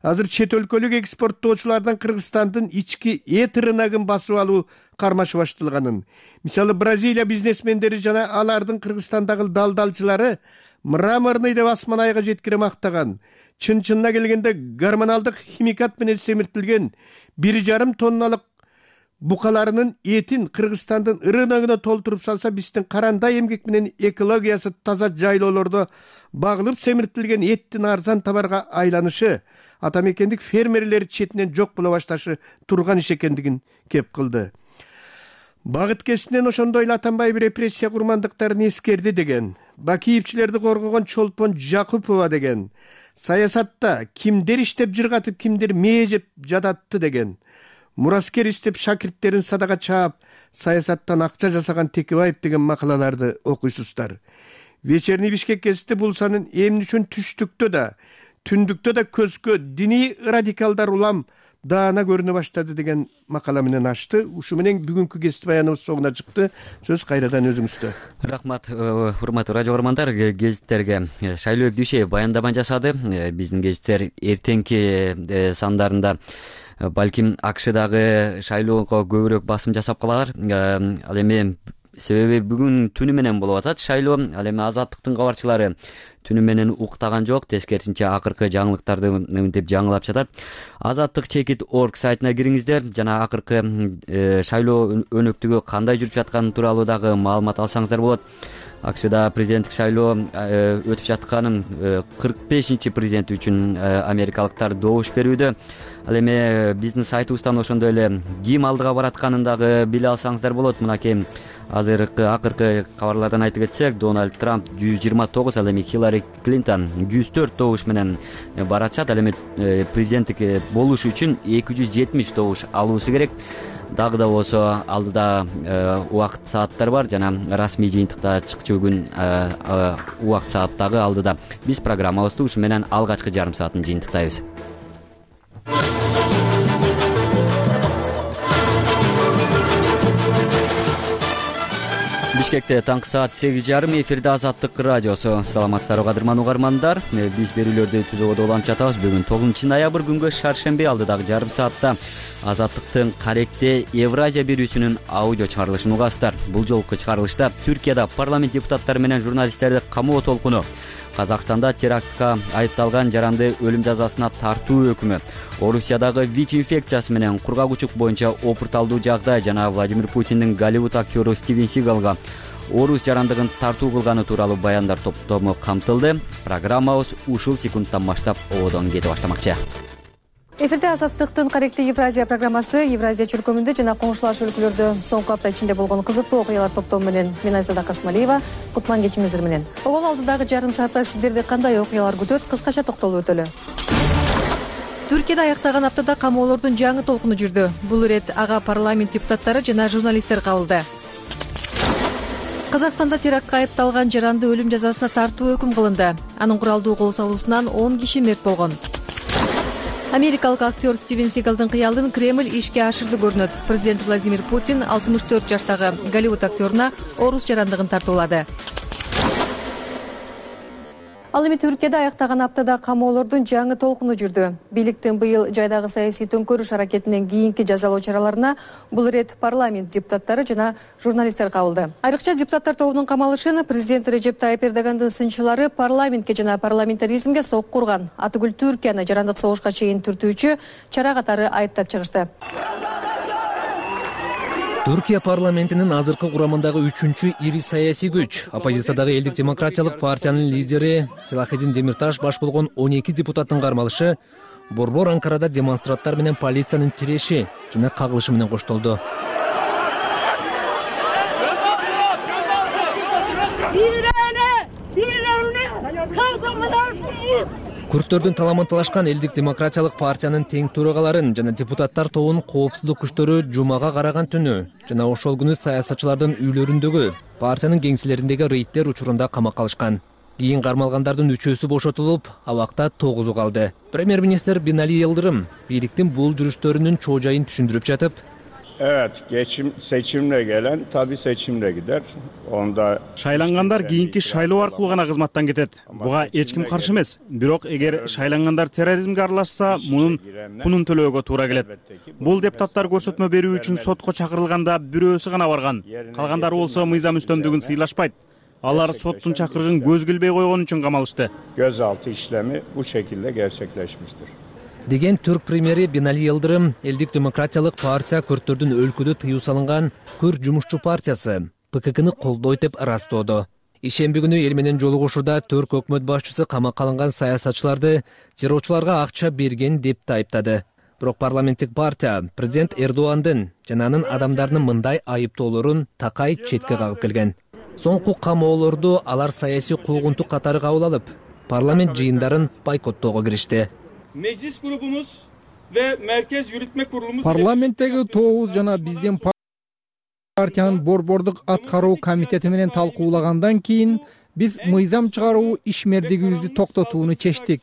азыр чет өлкөлүк экспорттоочулардан Кыргызстандын ички эт рыногун басып алуу кармашы башталганын, мисалы Бразилия бизнесмендери жана алардын Кыргызстандагы далдалчылары мраморный деп асман айга жеткире мактаган, чын-чынына келгенде гормоналдык химикат менен семиртилген бир жарым тонналык букаларынын этин Кыргызстандын рыногуна толтуруп салса, биздин карандай эмгек менен экологиясы таза жайлоолордо багылып семиртилген эттин арзан товарга айланышы, атамекендик фермерлер четинен жок боло башташы турган иш экендигин кеп кылды. Багыт кесинен ошондой эле Атамбаев репрессия курмандыктарын эскерди деген, Бакиевчилерди коргогон Чолпон Жакупова деген, саясатта кимдер иштеп жыргатып, кимдер мээ жеп жататты деген, мураскер иштеп шакирттерин садага чаап, саясаттан акча жасаган Текебаев деген макалаларды окуйсуздар. Вечерний Бишкек гезити булсанын эмне үчүн түштүктө да, түндүктө да көзгө диний радикалдар улам даана көрүнө баштады деген макала менен ачты. Ушу менен бүгүнкү гезит баяныбыз соңуна чыкты. Сөз кайрадан өзүңүздө. Рахмат, урматтуу радио көрөрмандар, гезиттерге Шайлообек Дүйшеев баяндама жасады. Биздин гезиттер эртеңки сандарында балким АКШдагы шайлоого көбүрөөк басым жасап калалар. Ал эми себеби бүгүн түнү менен болуп атат шайлоо. Ал эми Азаттыктын кабарчылары түнү менен уктаган жок, тескерисинче акыркы жаңылыктарды мынтип жаңылап жатат. Азаттык чекит орг сайтына кириңиздер жана акыркы шайлоо өнөктүгү кандай жүрүп жатканы тууралуу дагы маалымат алсаңыздар болот. акшда президенттик шайлоо өтүп жатканын кырк бешинчи президенти үчүн америкалыктар добуш берүүдө. Ал эми биздин сайтыбыздан ошондой эле ким алдыга баратканын дагы биле алсаңыздар болот. Мынакей азыркы акыркы кабарлардан айтып кетсек, Дональд Трамп жүз жыйырма тогуз, ал эми Хиллари Клинтон жүз төрт добуш менен баратышат. Ал эми президенттик болуш үчүн эки жүз жетимиш добуш алуусу керек. Дагы да болсо алдыда убакыт сааттар бар жана расмий жыйынтыкта чыкчу күн убакыт саат дагы алдыда. Биз программабызды ушу менен алгачкы жарым саатын жыйынтыктайбыз. Бишкекте таңкы саат сегиз жарым, эфирде Азаттык радиосу. Саламатсыздарбы кадырман угармандар. Биз берүүлөрдү түзүүгө уланып жатабыз. Бүгүн тогузунчу ноябрь күнгө шаршемби алдыдагы жарым саатта Азаттыктын Каректе Евразия берүүсүнүн аудио чыгарылышын угасыздар. Бул жолку чыгарылышта Түркияда парламент депутаттары менен журналисттерди камоо толкуну, Казакстанда терактка айыпталган жаранды өлүм жазасына тартуу өкүмү, Орусиядагы ВИЧ инфекциясы менен кургак учук боюнча опурталдуу жагдай жана Владимир Путиндин Голливуд актёру Стивен Сигалга орус жарандыгын тартуу кылганы тууралуу баяндар топтому камтылды. Программабыз ушул секундтан баштап ободон кете баштамакчы. Эфирде Азаттыктын Каректе Евразия программасы. Евразия чөлкөмүндө жана коңшулаш өлкөлөрдө соңку апта ичинде болгон кызыктуу окуялар топтому менен мен Айзада Касмалиева. Кутман кечиңиздер менен. Обол алдыдагы жарым саатта сиздерди кандай окуялар күтөт, кыскача токтолуп өтөлү. Түркияда аяктаган аптада камоолордун жаңы толкуну жүрдү. Бул ирет ага парламент депутаттары жана журналисттер кабылды. Казакстанда терактка айыпталган жаранды өлүм жазасына тартуу өкүм кылынды. Анын куралдуу кол салуусунан он киши мерт болгон. Америкалык актер Стивен Сигалдын кыялын Кремль ишке ашырды көрүнөт. Президент Владимир Путин алтымыш төрт жаштагы Голливуд актёруна орус жарандыгын тартуулады. Ал эми Түркияда аяктаган аптада камоолордун жаңы толкуну жүрдү. Бийликтин быйыл жайдагы саясий төңкөрүш аракетинен кийинки жазалоо чараларына бул ирет парламент депутаттары жана журналисттер кабылды. Айрыкча депутаттар тобунун камалышын президент Режеп Тайып Эрдогандын сынчылары парламентке жана парламентаризмге сокку урган, атүгүл Түркияны жарандык согушка чейин түртүүчү чара катары айыптап чыгышты. Түркия парламентинин азыркы курамындагы үчүнчү ири саясий күч, оппозициядагы Элдик демократиялык партиянын лидери Селахедин Демирташ баш болгон он эки депутаттын кармалышы борбор Анкарада демонстранттар менен полициянын тиреши жана кагылышы менен коштолду. Күрттөрдүн таламын талашкан Элдик демократиялык партиянын тең төрагаларын жана депутаттар тобунун коопсуздук күчтөрү жумага караган түнү жана ошол күнү саясатчылардын үйлөрүндөгү партиянын кеңселериндеги рейдтер учурунда камакка алышкан. Кийин кармалгандардын үчөөсү бошотулуп, абакта тогузу калды. Премьер-министр Бинали Йылдырым бийликтин бул жүрүштөрүнүн чоо жайын түшүндүрүп жатып, Evet, geçim seçimle gelen tabii seçimle gider. Onda шайлангандар кийинки шайлоо аркылуу гана кызматтан кетет. Буга эч ким каршы эмес. Бирок эгер шайлангандар терроризмге аралашса, мунун кунун төлөөгө туура келет. Бул депутаттар көрсөтмө берүү үчүн сотко чакырылганда бирөөсү гана барган. Калгандары болсо мыйзам үстөмдүгүн сыйлашпайт. Алар соттун чакырыгын көз билбей койгон үчүн камалышты. Gözaltı işlemi bu şekilde gerçekleşmiştir. Деген түрк премьери Бинали Йылдырым Элдик демократиялык партия күрттөрдүн өлкөдө тыюу салынган Күрт жумушчу партиясы Пэ Ка Кны колдойт деп ырастоодо. Ишемби күнү эл менен жолугушууда түрк өкмөт башчысы камакка алынган саясатчыларды террорчуларга акча берген деп да айыптады. Бирок парламенттик партия президент Эрдогандын жана анын адамдарынын мындай айыптоолорун такай четке кагып келген. Соңку камоолорду алар саясий куугунтук катары кабыл алып, парламент жыйындарын бойкоттоого киришти. Meclis grubumuz ve Merkez Yürütme Kurulumuz Parlamentteki тогуз жана биздин партиянын борбордук аткаруу комитети менен талкуулагандан кийин биз мыйзам чыгаруу ишмердигибизди токтотууну чечтик.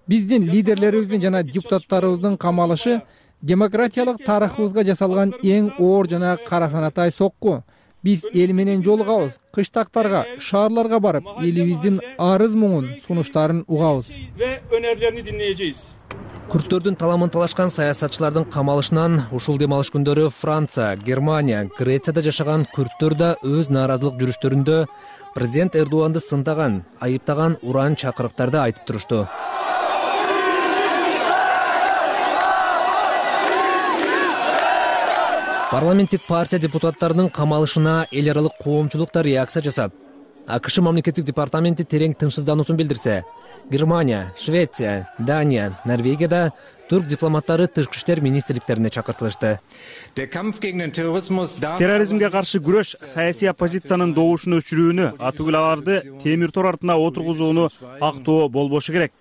Биздин лидерлерибиздин жана депутаттарыбыздын камалышы демократиялык тарыхыбызга жасалган эң оор жана кара санатай сокку. Биз эл менен жолугабыз, кыштактарга, шаарларга барып, элибиздин арыз муңун, сунуштарын угабыз. Ve önerilerini dinleyeceğiz. Күрттөрдүн таламын талашкан саясатчылардын камалышынан ушул дем алыш күндөрү Франция, Германия, Грецияда жашаган күрттөр да өз нааразылык жүрүштөрүндө президент Эрдоганды сындаган, айыптаган уран чакырыктарды айтып турушту. Парламенттик партия депутаттарынын камалышына эл аралык коомчулук да реакция жасап, акш мамлекеттик департаменти терең тынчсыздануусун билдирсе, Германия, Швеция, Дания, Норвегияда турк дипломаттары тышкы иштер министрликтерине чакыртылышты. Терроризмге каршы күрөш саясий оппозициянын добушун өчүрүүнү, атүгүл аларды темир тор артына отургузууну актоо болбошу керек.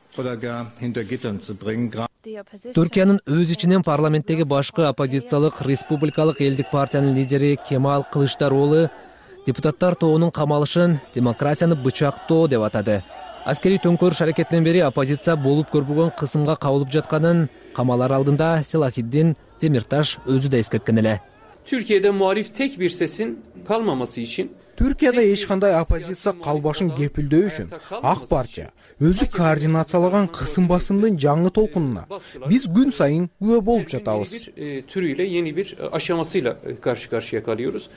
Түркиянын өз ичинен парламенттеги башкы оппозициялык республикалык элдик партиянын лидери Кемал Кылычдароğlu депутаттар тобунун камалышын демократияны бычактоо деп атады. Аскери төңкөрүш аракетинен бери оппозиция болуп көрбөгөн кысымга кабылып жатканын камалар алдында Селахиддин Демирташ өзү да эскерткен эле. Türkiye'de muhalif tek bir sesin kalmaması için Түркияда эч кандай оппозиция калбашын кепилдөө үчүн ак партия өзү координациялаган кысым басымдын жаңы толкунуна биз күн сайын күбө болуп жатабыз. bir türüyle yeni bir aşamasıyla karşı karşıya kalıyoruz.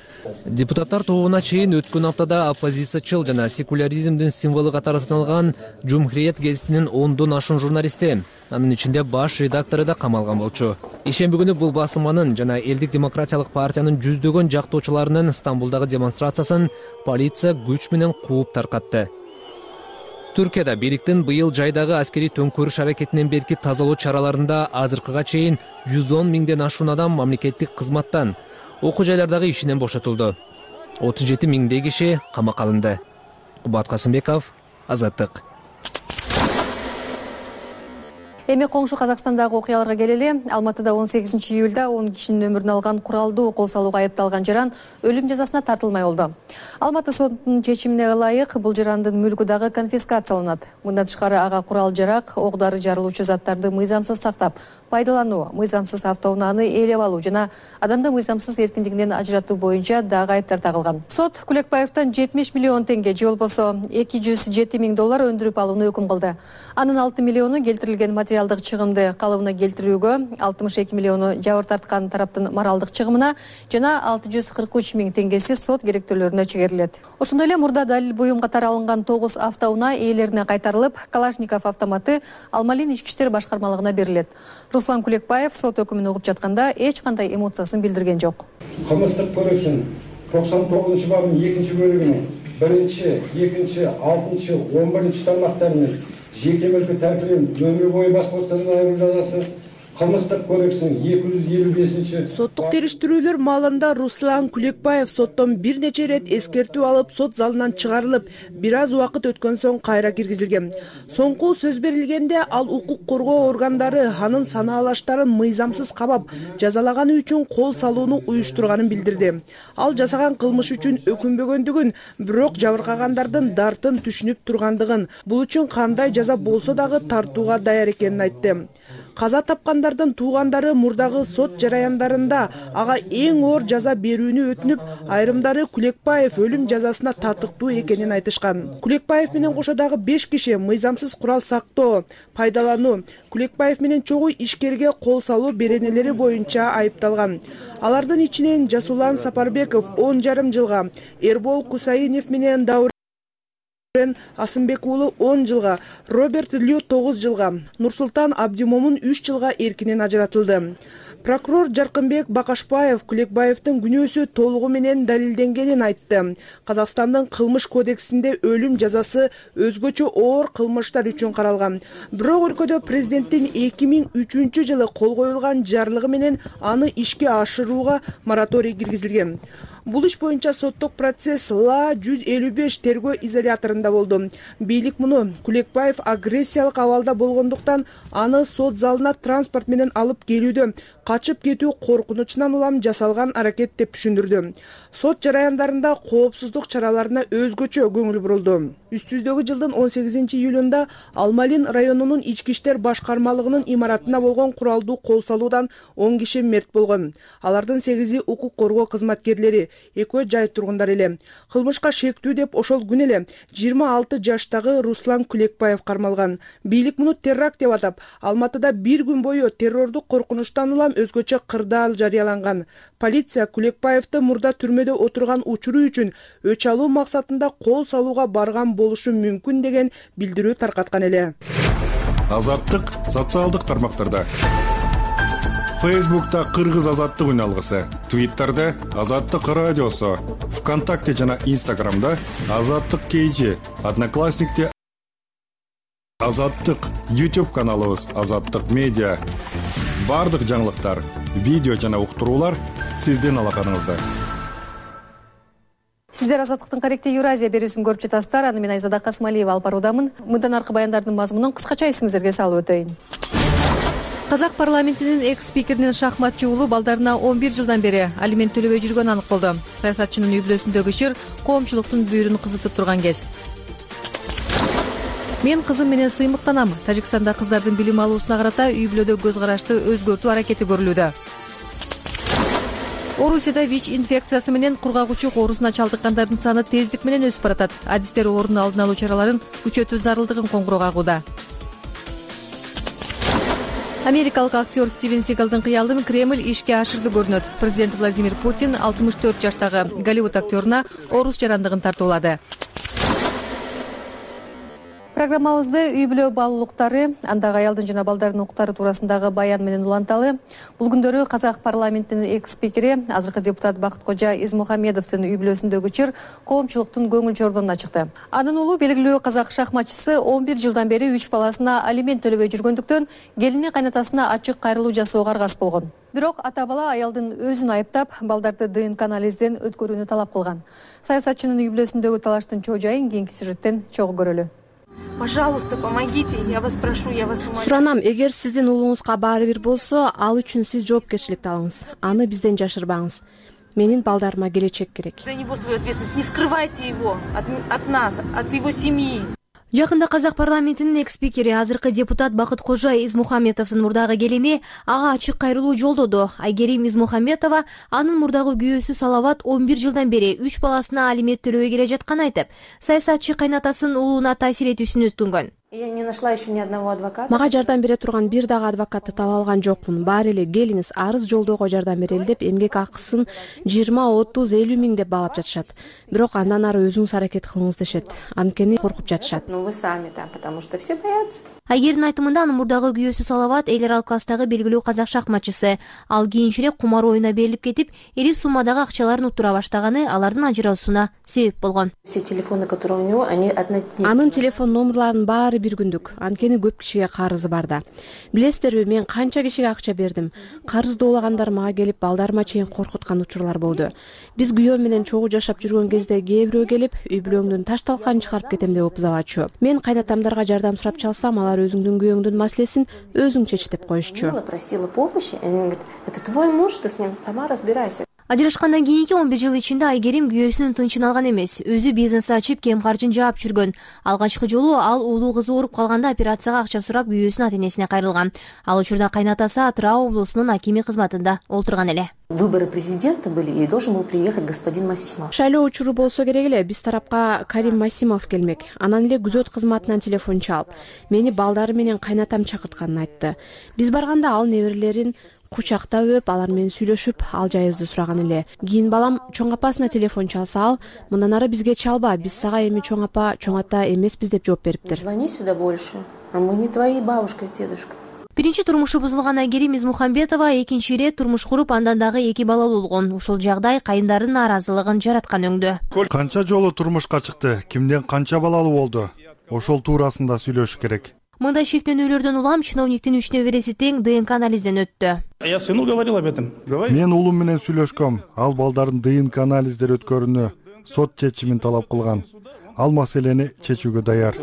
Депутаттар тобуна чейин өткөн аптада оппозициячыл жана секуляризмдин символу катары саналган Жумхуриет гезитинин ондон ашуун журналисти, анын ичинде баш редактору да камалган болчу. Ишемби күнү бул басылманын жана элдик демократиялык партиянын жүздөгөн жактоочуларынын Стамбулдагы демонстрациясын полиция күч менен кууп таркатты. Түркияда бийликтин быйыл жайдагы аскери төңкөрүш аракетинен берки тазалоо чараларында азыркыга чейин жүз он миңден ашуун адам мамлекеттик кызматтан, окуу жайлардагы ишинен бошотулду. отуз жети миңдей киши камакка алынды. Кубат Касымбеков, Азаттык. Эми коңшу Казакстандагы окуяларга келели. Алматыда он сегизинчи июлда он кишинин өмүрүн алган куралдуу кол салууга айыпталган жаран өлүм жазасына тартылмай болду. Алматы сотунун чечимине ылайык бул жарандын мүлкү дагы конфискацияланат. Мындан тышкары ага курал жарак, ок дары жарылуучу заттарды мыйзамсыз сактап, пайдалануу, мыйзамсыз автоунааны ээлеп алуу жана адамды мыйзамсыз эркиндигинен ажыратуу боюнча дагы айыптар тагылган. Сот Кулекбаевден жетимиш миллион теңге же болбосо эки жүз жети миң доллар өндүрүп алууну өкүм кылды. Анын алты миллиону келтирилген материалдык чыгымды калыбына келтирүүгө, алтымыш эки миллиону жабыр тарткан тараптын моралдык чыгымына жана алты жүз кырк үч миң теңгеси сот керектөлөрүнө чегерилет. Ошондой эле мурда далил буюм катары алынган тогуз автоунаа ээлерине кайтарылып, Калашников автоматы Алмалин ички иштер башкармалыгына берилет. Руслан Кулекбаев сот өкүмүн угуп жатканда эч кандай эмоциясын билдирген жок. Кылмыштык кодекстин токсон тогузунчу бабынын экинчи бөлүгүнүн биринчи, экинчи, алтынчы, он биринчи тармактарынын жеке мүлкү тәркилеу өмүр бою бас бостандыгынан айыруу жазасы, Кылмыштык кодекстин эки жүз элүү бешинчи соттук териштирүүлөр маалында Руслан Кулекбаев соттон бир нече ирет эскертүү алып, сот залынан чыгарылып, бир аз убакыт өткөн соң кайра киргизилген. Соңку сөз берилгенде ал укук коргоо органдары анын санаалаштарын мыйзамсыз кабап, жазалаганы үчүн кол салууну уюштурганын билдирди. Ал жасаган кылмыш үчүн өкүнбөгөндүгүн, бирок жабыркагандардын дартын түшүнүп тургандыгын, бул үчүн кандай жаза болсо дагы тартууга даяр экенин айтты. Каза тапкандардын туугандары мурдагы сот жараяндарында ага эң оор жаза берүүнү өтүнүп, айрымдары Кулекбаев өлүм жазасына тартыктуу экенин айтышкан. Кулекбаев менен кошо дагы беш киши мыйзамсыз курал сактоо, пайдалануу, Кулекбаев менен чогуу ишкерге кол салуу беренелери боюнча айыпталган. Алардын ичинен Жасулан Сапарбеков он жарым жылга, Эрбол Кусаинов менен Даурен Асымбек уулу он жылга, Роберт Лю тогуз жылга, Нурсултан Абдимомун үч жылга эркинен ажыратылды. Прокурор Жаркынбек Бакашбаев Кулекбаевдин күнөөсү толугу менен далилденгенин айтты. Казакстандын кылмыш кодексинде өлүм жазасы өзгөчө оор кылмыштар үчүн каралган. Бирок өлкөдө президенттин эки миң үчүнчү жылы кол коюлган жарлыгы менен аны ишке ашырууга мораторий киргизилген. Бул иш боюнча соттук процесс Ла жүз элүү беш тергөө изоляторунда болду. Бийлик муну Кулекбаев агрессиялык абалда болгондуктан аны сот залына транспорт менен алып келүүдө качып кетүү коркунучунан улам жасалган аракет деп түшүндүрдү. Сот жараяндарында коопсуздук чараларына өзгөчө көңүл бурулду. Үстүбүздөгү жылдын он сегизинчи июлунда Алмалин районунун ички иштер башкармалыгынын имаратына болгон куралдуу кол салуудан он киши мерт болгон. Алардын сегизи укук коргоо кызматкерлери, экөө жай тургундар эле. Кылмышка шектүү деп ошол күнү эле жыйырма алты жаштагы Руслан Кулекбаев кармалган. Бийлик муну теракт деп атап, Алматыда бир күн бою террордук коркунучтан улам өзгөчө кырдаал жарыяланган. Полиция Кулекбаевди мурда түрмөдө отурган учуру үчүн өч алуу максатында кол салууга барган болушу мүмкүн деген билдирүү таркаткан эле. Азаттык социалдык тармактарда. Фейсбукта Кыргыз азаттык үн алгысы, Твиттерде Азаттык радиосу, ВКонтакте жана Инстаграмда Азаттык кей, Одноклассникте Азаттык, YouTube каналыбыз Азаттык медиа. Бардык жаңылыктар, видео жана уктуруулар сиздин алаканыңызда. Сиздер Азаттыктын Каректе Евразия берүүсүн көрүп жатасыздар. Аны мен Айзада Касмалиева алып баруудамын. Мындан аркы баяндардын мазмунун кыскача эсиңиздерге салып өтөйүн. Казак парламентинин экс-спикеринин шахматчы уулу балдарына он бир жылдан бери алимент төлөбөй жүргөнү анык болду. Саясатчынын үй бүлөсүндөгү ишир коомчулуктун бүйүрүн кызытып турган кез. Мен кызым менен сыймыктанам. Тажикстанда кыздардын билим алуусуна карата үй бүлөдө көз карашты өзгөртүү аракети көрүлүүдө. Орусияда ВИЧ инфекциясы менен кургагучу оорусуна чалдыккандардын саны тездик менен өсүп баратат. Адистер оорунун алдын алуу чараларын күчөтүү зарылдыгын коңгуроо кагууда. Америкалык актер Стивен Сигалдын кыялын Кремль ишке ашырды көрүнөт. Президент Владимир Путин алтымыш төрт жаштагы Голливуд актеруна орус жарандыгын тартуулады. Программабызды үй бүлө баалуулуктары, андагы аялдын жана балдардын укуктары туурасындагы баян менен уланталы. Бул күндөрү Казак парламентинин экс-спикери, азыркы депутат Бакыткожа Измухамедовдун үй бүлөсүндөгү чыр коомчулуктун көңүл чордонуна чыкты. Анын уулу белгилүү казак шахматчысы он бир жылдан бери үч баласына алимент төлөбөй жүргөндүктөн келини кайнатасына ачык кайрылуу жасоого аргасыз болгон. Бирок ата бала аялдын өзүн айыптап, балдарды ДНК анализден өткөрүүнү талап кылган. Саясатчынын үй бүлөсүндөгү талаштын чоо жайын кийинки сюжеттен чогуу көрөлү. Пожалуйста, помогите, я вас прошу, я вас умоляю. Суранам, эгер сиздин уулуңузга баары бир болсо, ал үчүн сиз жоопкерчиликти алыңыз. Аны бизден жашырбаңыз. Менин балдарыма келечек керек. За него свою ответственность, не скрывайте его от, от нас, от его семьи. Жакында Казак парламентинин экс-спикери, азыркы депутат Бакыткожа Измухамедовдун мурдагы келини ага ачык кайрылуу жолдоду. Айгерим Измухаметова анын мурдагы күйөөсү Салават он бир жылдан бери үч баласына алимент төлөбөй келе жатканын айтып, саясатчы кайнатасынын уулуна таасир этүүсүн өткөнгөн. Я не нашла еще ни одного адвоката. Мага жардам бере турган бир дагы адвокатты таба алган жокмун. Баары эле келиңиз, арыз жолдоого жардам берели деп эмгек акысын жыйырма, отуз, элүү миң деп баалап жатышат. Бирок андан ары өзүңүз аракет кылыңыз дешет. Анткени коркуп жатышат. Ну вы сами там, потому что все боятся. Айгердин айтымында анын мурдагы күйөөсү Салават эл аралык класстагы белгилүү казак шахматчысы. Ал кийинчерээк кумар оюна берилип кетип, ири суммадагы акчаларын утура баштаганы алардын ажыраысууна себеп болгон. Все телефоны, которые у него, они однодневные. Анын телефон номерларынын баары бир күндүк. Анткени көп кишиге карызы бар да. Билесиздерби, мен канча кишиге акча бердим. Карыздоолагандар мага келип, балдарыма чейин коркуткан учурлар болду. Биз күйөөм менен чогуу жашап жүргөн кезде кээ бирөө келип, үй бүлөңдүн таш талканын чыгарып кетем деп опузалачу. Мен кайнатамдарга жардам сурап чалсам, алар өзүңдүн күйөөңдүн маселесин өзүң чеч деп коюшчу. Просила помощи, они говорят, это твой муж, ты с ним сама разбирайся. Ажырашкандан кийинки он бир жыл ичинде Айгерим күйөөсүнүн тынчын алган эмес. Өзү бизнес ачып, кем каржын жаап жүргөн. Алгачкы жолу ал уулу кызы ооруп калганда операцияга акча сурап күйөөсүнүн ата-энесине кайрылган. Ал учурда кайнатасы Атырау облусунун акими кызматында олтурган эле. Выборы президента были, и должен был приехать господин Масимов. Шайлоо учуру болсо керек эле, биз тарапка Карим Масимов келмек. Анан эле күзөт кызматынан телефон чалып, мени балдары менен кайнатам чакыртканын айтты. Биз барганда ал неберелерин кучактап өп, алар менен сүйлөшүп, ал жайыбызды сураган эле. Кийин балам чоң апасына телефон чалса, ал мындан ары бизге чалба, биз сага эми чоң апа, чоң ата эмеспиз деп жооп бериптир. Звони сюда больше, а мы не твои бабушка с дедушкой. Биринчи турмушу бузулган Айгерим Измухамбетова экинчи ирет турмуш куруп, андан дагы эки балалуу болгон. Ушул жагдай кайындардын нааразылыгын жараткан өңдө. Канча жолу турмушка чыкты, кимден канча балалуу болду? Ошол туурасында сүйлөшүш керек. Мындай шектенүүлөрдөн улам чиновниктин үч небереси тең ДНК анализден өттү. Я сыну говорил об этом. Мен уулум менен сүйлөшкөм. Ал балдардын ДНК анализдери өткөрүүнү сот чечимин талап кылган. Ал маселени чечүүгө даяр.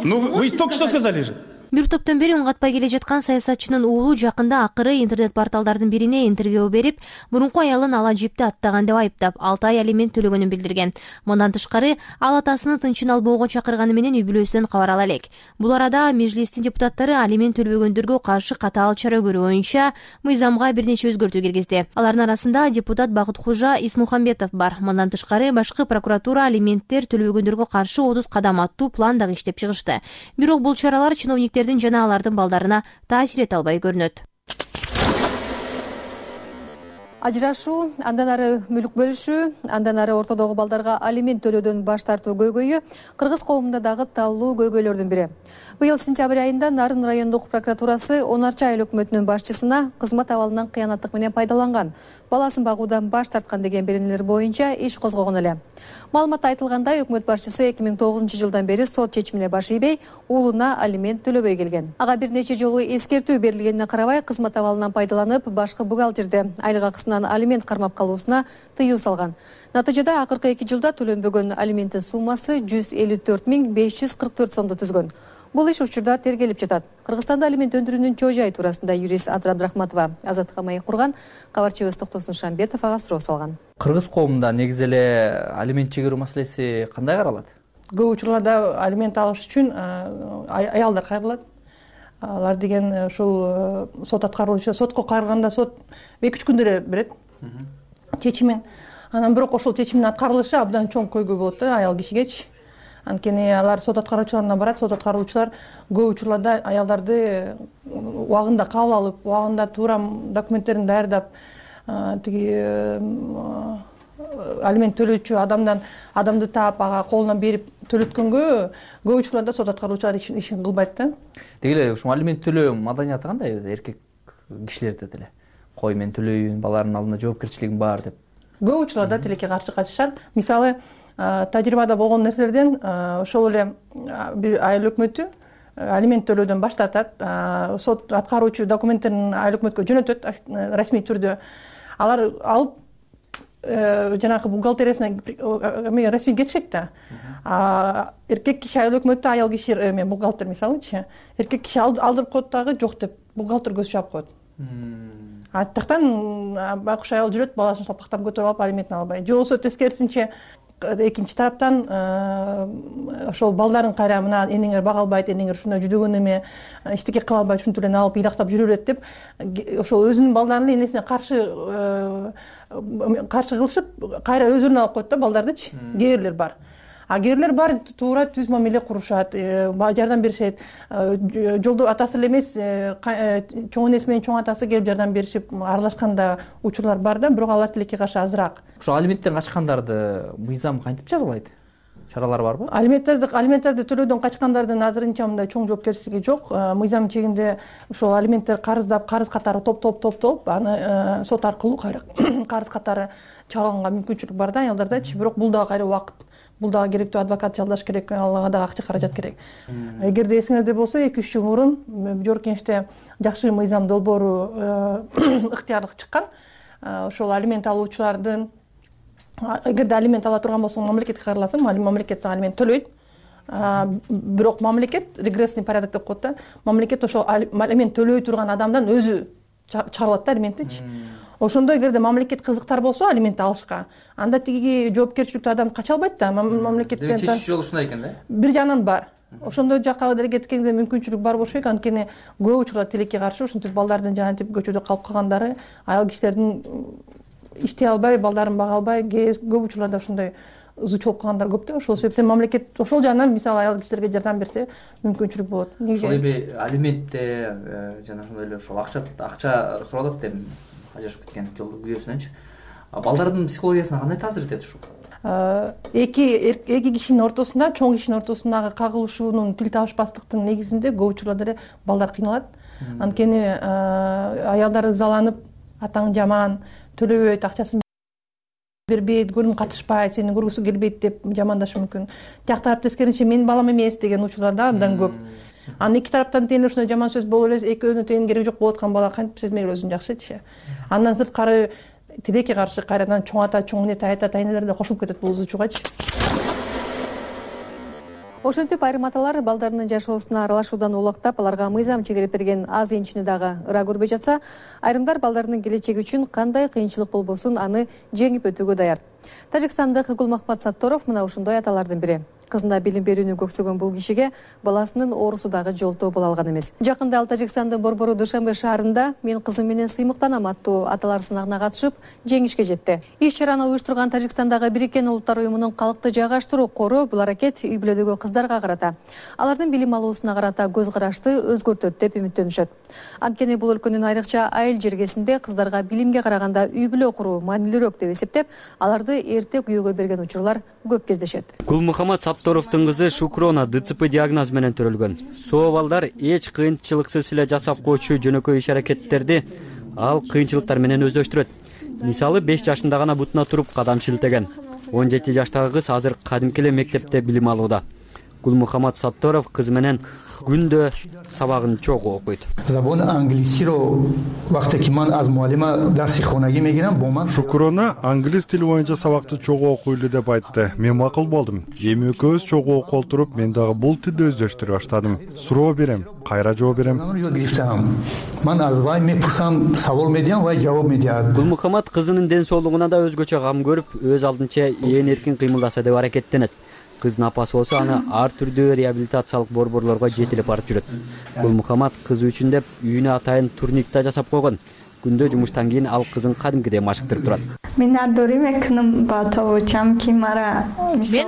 Ну, вы только что сказали же. Бир топтон бери үн катпай келе жаткан саясатчынын уулу жакында акыры интернет порталдардын бирине интервью берип, мурунку аялын ала жипти аттаган деп айыптап, алты ай алимент төлөгөнүн билдирген. Мындан тышкары, ал атасынын тынчын албоого чакырганы менен үй бүлөсүнөн кабар ала элек. Бул арада межлистин депутаттары алимент төлбөгөндөргө каршы катаал чара көрүү боюнча мыйзамга бир нече өзгөртүү киргизди. Алардын арасында депутат Бакыткожа Исмухамбетов бар. Мындан тышкары, башкы прокуратура алименттер төлбөгөндөргө каршы отуз кадам аттуу план дагы иштеп чыгышты. Бирок бул чаралар чиновниктер жана алардын балдарына таасир эте албай көрүнөт. Ажырашуу, андан ары мүлк бөлүшүү, андан ары ортодогу балдарга алимент төлөөдөн баш тартуу көйгөйү кыргыз коомунда дагы талуу көйгөйлөрдүн бири. Быйыл сентябрь айында Нарын райондук прокуратурасы Онарчы айыл өкмөтүнүн башчысына кызмат абалынан кыянаттык менен пайдаланган, баласын багуудан баш тарткан деген беренелер боюнча иш козгогон эле. Маалыматта айтылгандай, өкмөт башчысы эки миң тогузунчу жылдан бери сот чечимине баш ийбей, уулуна алимент төлөбөй келген. Ага бир нече жолу эскертүү берилгенине карабай, кызмат абалынан пайдаланып, башкы бухгалтерди айлык акысынан алимент кармап калуусуна тыюу салган. Натыйжада акыркы эки жылда төлөнбөгөн алименттин суммасы жүз элүү төрт миң беш жүз кырк төрт сомду түзгөн. Бул иш учурда тергелип жатат. Кыргызстанда алимент өндүрүүнүн чоо жайы туурасында юрист Адыр Абдрахматова Азаттыкка маек курган. Кабарчыбыз Токтосун Шамбетов ага суроо салган. Кыргыз коомунда негизи эле алимент чегерүү маселеси кандай каралат? Көп учурларда алимент алыш үчүн аялдар кайрылат. Алар деген ушул сот аткаруучу, сотко кайрылганда сот эки үч күндө эле берет чечимин. Анан бирок ошол чечимдин аткарылышы абдан чоң көйгөй болот да аял кишигечи. Анткени алар сот аткаруучуларына барат, сот аткаруучулар көп учурларда аялдарды убагында кабыл алып, убагында туура документтерин даярдап, тиги алимент төлөөчү адамдан адамды таап, ага колуна берип төлөткөнгө көп учурларда сот аткаруучулар ишин кылбайт да. Деги эле ушул алимент төлөө маданияты кандай эркек кишилерде деле? Кой мен төлөйүн, баланын алдында жоопкерчилигим бар деп. Көп учурларда тилекке каршы качышат. Мисалы, тажрыйбада болгон нерселерден ошол эле бир айыл өкмөтү алимент төлөөдөн баш тартат, сот аткаруучу документтерин айыл өкмөткө жөнөтөт расмий түрдө. Алар алып жанагы бухгалтериясына расмий кетишет да. Эркек киши айыл өкмөттө, аял киши эме бухгалтер мисалычы, эркек киши алдырып коет дагы жок деп бухгалтер көз чаап коет. А тактан байкуш аял жүрөт, баласын салпактап көтөрүп алып алиментин албай. Же болбосо тескерисинче экинчи тараптан ошол балдарын кайра мына энеңер бага албайт, энеңер ушундай жүдөгөн эме, эчтеке кыла албайт, ушинтип эле алып ыйлактап жүрө берет деп ошол өзүнүн балдарын энесине каршы каршы кылышып, кайра өздөрүнө алып коет да балдардычы. Кээ бирлер бар. А кээ бирлер бар, туура түз мамиле курушат, жардам беришет. Жолдо атасы эле эмес, чоң энеси менен чоң атасы келип жардам беришип, аралашканда учурлар бар да, бирок алар тилекке каршы азыраак. Ошо алименттен качкандарды мыйзам кантип жазалайт? Чаралар барбы? Алименттерди алименттерди төлөөдөн качкандардын азырынча мындай чоң жоопкерчилиги жок. Мыйзам чегинде ушул алименттер карыздап, карыз катары топ-топ топтолуп, аны сот аркылуу кайра карыз катары чалганга мүмкүнчүлүк бар да аялдардачы, бирок бул дагы кайра убакыт. Бул дагы керектүү адвокат жалдаш керек, ага дагы акча каражат керек. Эгерде эсиңерде болсо, эки үч жыл мурун Жогорку Кеңеште жакшы мыйзам долбоору ыктыярлык чыккан. Ошол алимент алуучулардын эгерде алимент ала турган болсоң, мамлекетке кайрыласың, мамлекет сага алимент төлөйт. Бирок мамлекет регрессный порядок деп коет да. Мамлекет ошол алимент төлөй турган адамдан өзү чыгарылат да алименттичи. Ошондо эгерде мамлекет кызыктар болсо алимент алышка, анда тиги жоопкерчиликтүү адам кача албайт да, мамлекеттен. Чечүү жолу ушундай экен да? Бир жагынан бар. Ошондой жакка деле кеткенде мүмкүнчүлүк бар болуш керек, анткени көп учурларда тилекке каршы ушинтип балдардын жанагынтип көчөдө калып калгандары, аял кишилердин иштей албай, балдарын бага албай, көп учурларда ушундай зыч болуп калгандар көп да. Ошол себептен мамлекет ошол жагынан мисалы аял кишилерге жардам берсе мүмкүнчүлүк болот. Ошол эми алиментте жана ошондой эле ошол акча акча суралат деп ажырашып кеткен күйөөсүнөнчү. Балдардын психологиясына кандай таасир этет ушул? Эки эки кишинин ортосунда, чоң кишинин ортосундагы кагылышуунун, тил табышпастыктын негизинде көп учурларда эле балдар кыйналат. Анткени аялдар ызаланып, атаң жаман, төлөбөйт, акчасын бербейт, көлүм катышпайт, сени көргүсү келбейт деп жамандашы мүмкүн. Тияк тарап тескерисинче мен балам эмес деген учурлар да абдан көп. Анан эки тараптан тең ушундай жаман сөз болуп эле экөөнүн тең кереги жок болуп аткан бала кантип сезмей өзүн жакшычы. Андан сырткары тилекке каршы кайрадан чоң ата, чоң эне, тайата, тайнелер да кошулуп кетет бул зычуугачы. Ошентип айрым аталар балдарынын жашоосуна аралашуудан улактап, аларга мыйзам чегерип берген аз энчини дагы ыра көрбөй жатса, айрымдар балдарынын келечеги үчүн кандай кыйынчылык болбосун аны жеңип өтүүгө даяр. Тажикстандык Гулмахмат Сатторов мына ушундай аталардын бири. кызына билим берүүнү көксөгөн бул кишиге баласынын оорусу дагы жолтоо боло алган эмес. Жакында ал Тажикстандын борбору Душанбе шаарында "Мен кызым менен сыймыктанам" аттуу аталар сынагына катышып, жеңишке жетти. Иш чараны уюштурган Тажикстандагы Бириккен Улуттар уюмунун калкты жайгаштыруу кору бул аракет үй бүлөдөгү кыздарга карата, алардын билим алуусуна карата көз карашты өзгөртөт деп үмүттөнүшөт. Анткени бул өлкөнүн айрыкча айыл жергесинде кыздарга билимге караганда үй бүлө куруу маанилүүрөөк деп эсептеп, аларды эрте күйөөгө берген учурлар көп кездешет. Гулмухаммад Сапторовдун кызы Шукрона Д Ц П диагноз менен төрөлгөн. Соо балдар эч кыйынчылыксыз эле жасап коючу жөнөкөй иш-аракеттерди ал кыйынчылыктар менен өздөштүрөт. Мисалы беш жашында гана бутуна туруп кадам шилтеген. он жети жаштагы кыз азыр кадимки эле мектепте билим алууда. Гулмухаммад Сапторов кызы менен күндө сабагын чогуу окуйт. Забони англисиро вақте ки ман аз муаллима дарси хонагӣ мегирам бо ман Шукрона англис тили боюнча сабакты чогуу окуйлу деп айтты. Мен макул болдум. Эми экөөбүз чогуу окуп олтуруп, мен дагы бул тилди өздөштүрө баштадым. Суроо берем, кайра жооп берем. Ман аз вай мепурсам, сабол медиям, вай жооп медият. Гулмухаммад кызынын ден соолугуна да өзгөчө кам көрүп, өз алдынча ээн эркин кыймылдаса деп аракеттенет. Кыздын апасы болсо аны ар түрдүү реабилитациялык борборлорго жетелеп барып жүрөт. Гулмухаммад кызы үчүн деп үйүнө атайын турник да жасап койгон. Күндө жумуштан кийин ал кызын кадимкидей машыктырып турат. Мен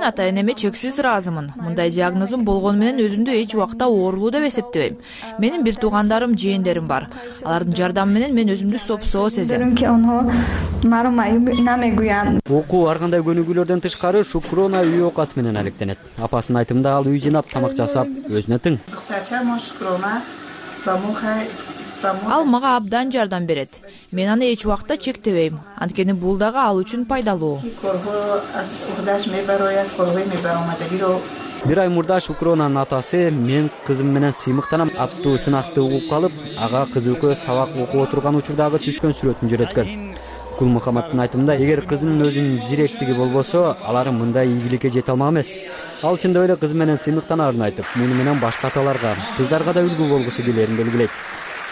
атайын эме чексиз ыраазымын. Мындай диагнозум болгону менен өзүмдү эч убакта оорулуу деп эсептебейм. Менин бир туугандарым, жээндерим бар. Алардын жардамы менен мен өзүмдү сопсоо сезем. Окуу ар кандай көнүгүүлөрдөн тышкары Шукрона үй оокаты менен алектенет. Апасынын айтымында ал үй жыйнап, тамак жасап, өзүнө тең. Ал мага абдан жардам берет. Мен аны эч убакта чектебейм. Анткени бул дагы ал үчүн пайдалуу. Бир ай мурда Шукронанын атасы "Мен кызым менен сыймыктанам" аттуу сынакты угуп калып, ага кызы экөө сабак окуп отурган учурдагы түшкөн сүрөтүн жөнөткөн. Гулмухаммаддын айтымында, эгер кызынын өзүнүн зиректиги болбосо, алар мындай ийгиликке жете алмак эмес. Ал чындап эле кызы менен сыймыктанаарын айтып, муну менен башка аталарга, кыздарга да үлгү болгусу келерин белгилейт.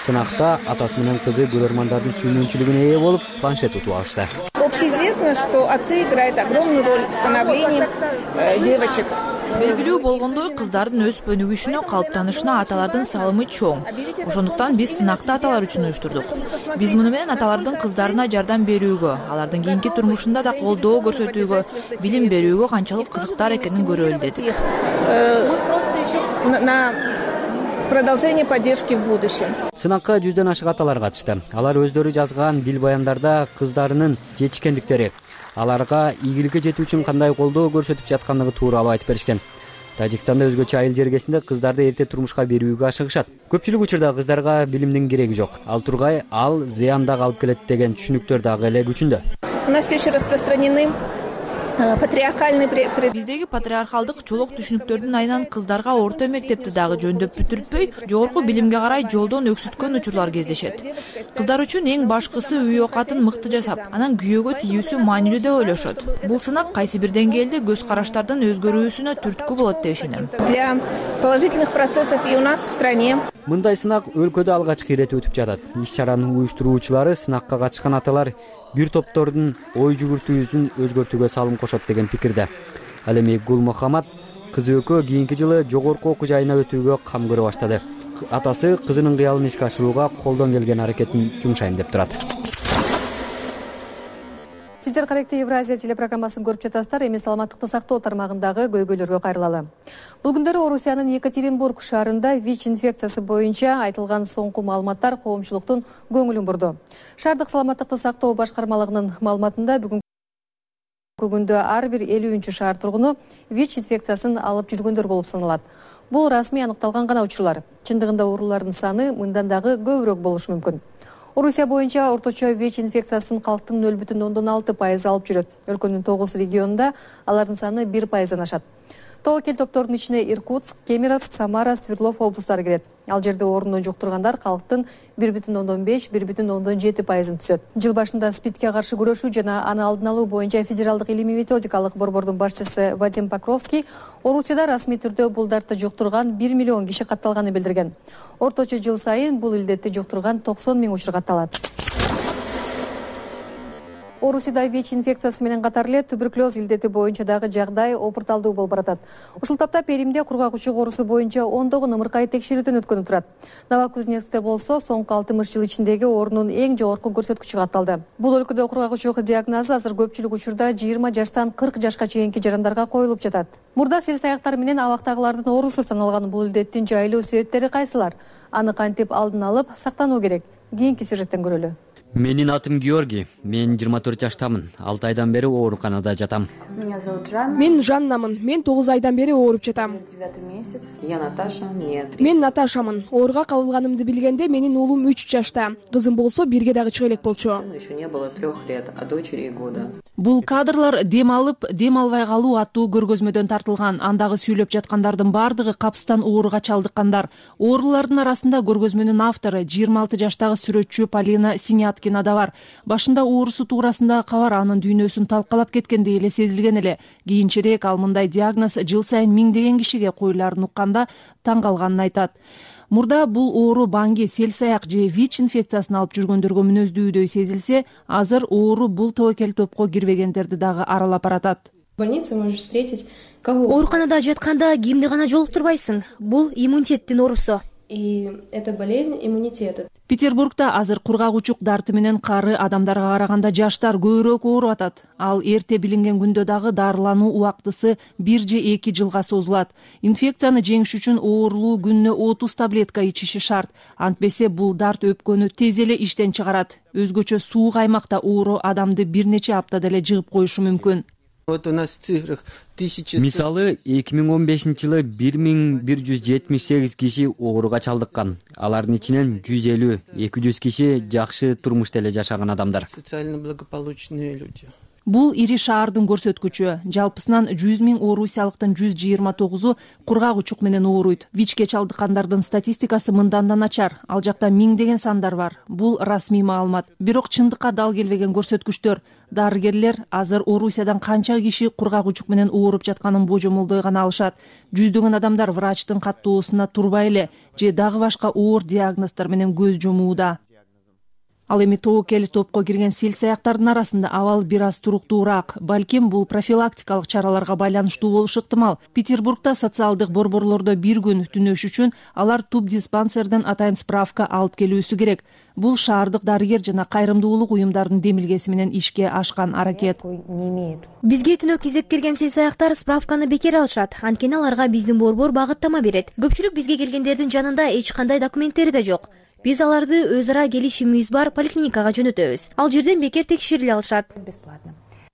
Сынакта атасы менен кызы көрөрмандардын сүймөнчүлүгүнө ээ болуп, планшет утуп алышты. Общеизвестно, что отцы играют огромную роль в становлении девочек. Белгилүү болгондой, кыздардын өспө өнүгүшүнө, калыптанышына аталардын салымы чоң. Ошондуктан биз сынакты аталар үчүн уюштурдук. Биз муну менен аталардын кыздарына жардам берүүгө, алардын кийинки турмушунда да колдоо көрсөтүүгө, билим берүүгө канчалык кызыктар экенин көрөлү дедик. Продолжение поддержки в будущем. Сынакка жүздөн ашык аталар катышты. Алар өздөрү жазган дил баяндарда кыздарынын жетишкендиктери, аларга ийгиликке жетүү үчүн кандай колдоо көрсөтүп жаткандыгы тууралуу айтып беришкен. Тажикстанда өзгөчө айыл жергесинде кыздарды эрте турмушка берүүгө ашыгышат. Көпчүлүк учурда кыздарга билимдин кереги жок. Ал тургай ал зыян дагы алып келет деген түшүнүктөр дагы эле күчүндө. У нас все еще распространены патриархальный. Биздеги патриархалдык чолок түшүнүктөрдүн айынан кыздарга орто мектепти дагы жөндөп бүтүртпөй, жогорку билимге карай жолдон өксүткөн учурлар кездешет. Кыздар үчүн эң башкысы үй оокатын мыкты жасап, анан күйөөгө тийүүсү маанилүү деп ойлошот. Бул сынак кайсы бир деңгээлде көз караштардын өзгөрүүсүнө түрткү болот деп ишенем. Для положительных процессов и у нас в стране. Мындай сынак өлкөдө алгачкы ирет өтүп жатат. Иш-чаранын уюштуруучулары сынакка катышкан аталар бир топтордун ой жүгүртүүсүн өзгөртүүгө салым кошот деген пикирде. Ал эми Гулмухаммад кызы экөө кийинки жылы жогорку окуу жайына өтүүгө кам көрө баштады. Атасы кызынын кыялын ишке ашырууга колдон келген аракетин жумшайм деп турат. Сиздер каректүү Евразия телепрограммасын көрүп жатасыздар. Эми саламаттыкты сактоо тармагындагы көйгөйлөргө кайрылалы. Бул күндөрү Орусиянын Екатеринбург шаарында ВИЧ инфекциясы боюнча айтылган соңку маалыматтар коомчулуктун көңүлүн бурду. Шаардык саламаттыкты сактоо башкармалыгынын маалыматында бүгүнкү күндө ар бир элүүнчү шаар тургуну ВИЧ инфекциясын алып жүргөндөр болуп саналат. Бул расмий аныкталган гана учурлар. Чындыгында оорулардын саны мындан дагы көбүрөөк болушу мүмкүн. Орусия боюнча орточо ВИЧ инфекциясын калктын нөл бүтүн ондон алты пайызы алып жүрөт. Өлкөнүн тогуз регионунда алардын саны бир пайыздан ашат. Тобокел топтордун ичине Иркутск, Кемеровск, Самара, Свердлов облустары кирет. Ал жерде ооруну жуктургандар калктын бир бүтүн ондон беш — бир бүтүн ондон жети пайызын түзөт. Жыл башында СПИДке каршы күрөшүү жана аны алдын алуу боюнча Федералдык илимий методикалык борбордун башчысы Вадим Покровский Орусияда расмий түрдө бул дартты жуктурган бир миллион киши катталганын билдирген. Орточо жыл сайын бул илдетти жуктурган токсон миң учур катталат. Орусияда ВИЧ инфекциясы менен катар эле туберкулез илдети боюнча дагы жагдай опурталдуу болуп баратат. Ушул тапта Перимде кургак учук оорусу боюнча ондогон ымыркай текшерүүдөн өткөнүп турат. Новокузнецкте болсо соңку алтымыш жыл ичиндеги орунун эң жогорку көрсөткүчү катталды. Бул өлкөдө кургак учук диагнозу азыр көпчүлүк учурда жыйырма жаштан кырк жашка чейинки жарандарга коюлуп жатат. Мурда сел саяктар менен абактагылардын оорусу саналган бул илдеттин жайылуу себептери кайсылар? Аны кантип алдын алып сактануу керек? Кийинки сюжеттен көрөлү. Менин атым Георгий. Мен жыйырма төрт жаштамын. алты айдан бери ооруканада жатам. Мен Жаннамын. Мен тогуз айдан бери ооруп жатам. Мен Наташамын. Ооруга кабылганымды билгенде менин уулум үч жашта. Кызым болсо бирге дагы чыга элек болчу. Бул кадрлар дем алып, дем албай калуу аттуу көргөзмөдөн тартылган. Андагы сүйлөп жаткандардын бардыгы капстан ооруга чалдыккандар. Оорулардын арасында көргөзмөнүн автору жыйырма алты жаштагы сүрөтчү Полина Синяткина да бар. Башында оорусу туурасындагы кабар анын дүйнөсүн талкалап кеткендей эле сезилген эле. Кийинчерээк ал мындай диагноз жыл сайын миңдеген кишиге коюлаарын укканда таң калганын айтат. Мурда бул оору баңги, селсаяк же ВИЧ инфекциясын алып жүргөндөргө мүнөздүүдөй сезилсе, азыр оору бул тобокел топко кирбегендерди дагы аралап баратат. Ооруканада жатканда кимди гана жолуктурбайсың. Бул иммунитеттин оорусу. И это болезнь иммунитета. Петербургда азыр кургак учук дарты менен кары адамдарга караганда жаштар көбүрөөк ооруп атат. Ал эрте билинген күндө дагы дарылануу убактысы бир же эки жылга созулат. Инфекцияны жеңиш үчүн оорулуу күнүнө отуз таблетка ичиши шарт. Антпесе бул дарт өпкөнү тез эле иштен чыгарат. Өзгөчө суук аймакта оору адамды бир нече аптада эле жыгып коюшу мүмкүн. Вот у нас в цифрах тысяча. Мисалы эки миң он бешинчи жылы бир миң бир жүз жетимиш сегиз киши ооруга чалдыккан. Алардын ичинен жүз элүү эки жүз киши жакшы турмушта эле жашаган адамдар. Социально благополучные люди. Бул ири шаардын көрсөткүчү. Жалпысынан жүз миң орусиялыктын жүз жыйырма тогузу кургак учук менен ооруйт. ВИЧке чалдыккандардын статистикасы мындан да начар. Ал жакта миңдеген сандар бар. Бул расмий маалымат. Бирок чындыкка дал келбеген көрсөткүчтөр. Дарыгерлер азыр Орусиядан канча киши кургак учук менен ооруп жатканын божомолдой гана алышат. Жүздөгөн адамдар врачтын каттоосуна турбай эле же дагы башка оор диагноздор менен көз жумууда. Ал эми тобокел топко кирген селсаяктардын арасында абал бир аз туруктуураак. Балким бул профилактикалык чараларга байланыштуу болушу ыктымал. Петербургда социалдык борборлордо бир күн түнөш үчүн алар туп диспансерден атайын справка алып келүүсү керек. Бул шаардык дарыгер жана кайрымдуулук уюмдардын демилгеси менен ишке ашкан аракет. Бизге түнөк издеп келген селсаяктар справканы бекер алышат. Анткени аларга биздин борбор багыттама берет. Көпчүлүк бизге келгендердин жанында эч кандай документтери да жок. Биз аларды өз ара келишимибиз бар поликлиникага жөнөтөбүз. Ал жерден бекер текшериле алышат.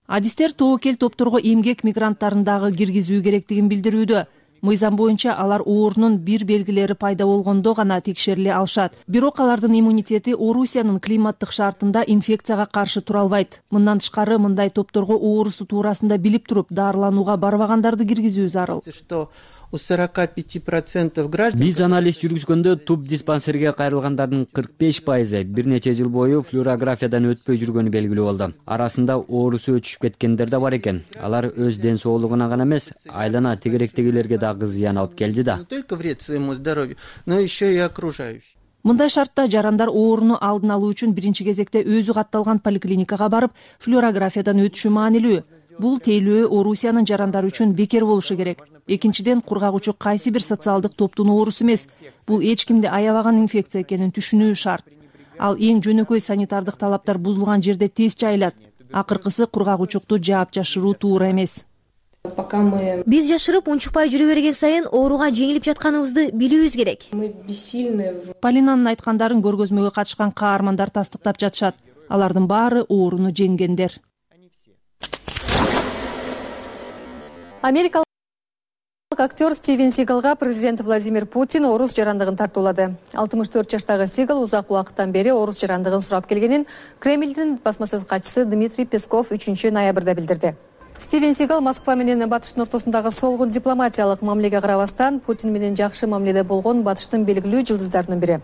Адистер тобокел топторго эмгек мигранттарын дагы киргизүү керектигин билдирүүдө. Мыйзам боюнча алар оорунун бир белгилери пайда болгондо гана текшериле алышат. Бирок алардын иммунитети Орусиянын климаттык шартында инфекцияга каршы тура албайт. Мындан тышкары мындай топторго оорусу туурасында билип туруп дарыланууга барбагандарды киргизүү зарыл. У сорока пяти процентов граждан. Биз анализ жүргүзгөндө туп диспансерге кайрылгандардын кырк беш пайызы бир нече жыл бою флюорографиядан өтпөй жүргөнү белгилүү болду. Арасында оорусу өчүп кеткендер да бар экен. Алар өз ден соолугуна гана эмес, айлана тегеректегилерге дагы зыян алып келди да. Не только вред своему здоровью, но еще и окружающим. Мындай шартта жарандар ооруну алдын алуу үчүн биринчи кезекте өзү катталган поликлиникага барып, флюорографиядан өтүшү маанилүү. Бул тейлөө Орусиянын жарандары үчүн бекер болушу керек. Экинчиден, кургак учук кайсы бир социалдык топтун оорусу эмес. Бул эч кимди аябаган инфекция экенин түшүнүү шарт. Ал эң жөнөкөй санитардык талаптар бузулган жерде тез жайылат. Акыркысы кургак учукту жаап жашыруу туура эмес. Биз жашырып унчукпай жүрө берген сайын ооруга жеңилип жатканыбызды билүүбүз керек. Полинанын айткандарын көргөзмөгө катышкан каармандар тастыктап жатышат. Алардын баары ооруну жеңгендер. Америкалык актер Стивен Сигалга президент Владимир Путин орус жарандыгын тартуулады. алтымыш төрт жаштагы Сигал узак убакыттан бери орус жарандыгын сурап келгенин Кремлдин басма сөз катчысы Дмитрий Песков үчүнчү ноябрда билдирди. Стивен Сигал Москва менен Батыштын ортосундагы солгун дипломатиялык мамилеге карабастан Путин менен жакшы мамиледе болгон Батыштын белгилүү жылдыздарынын бири.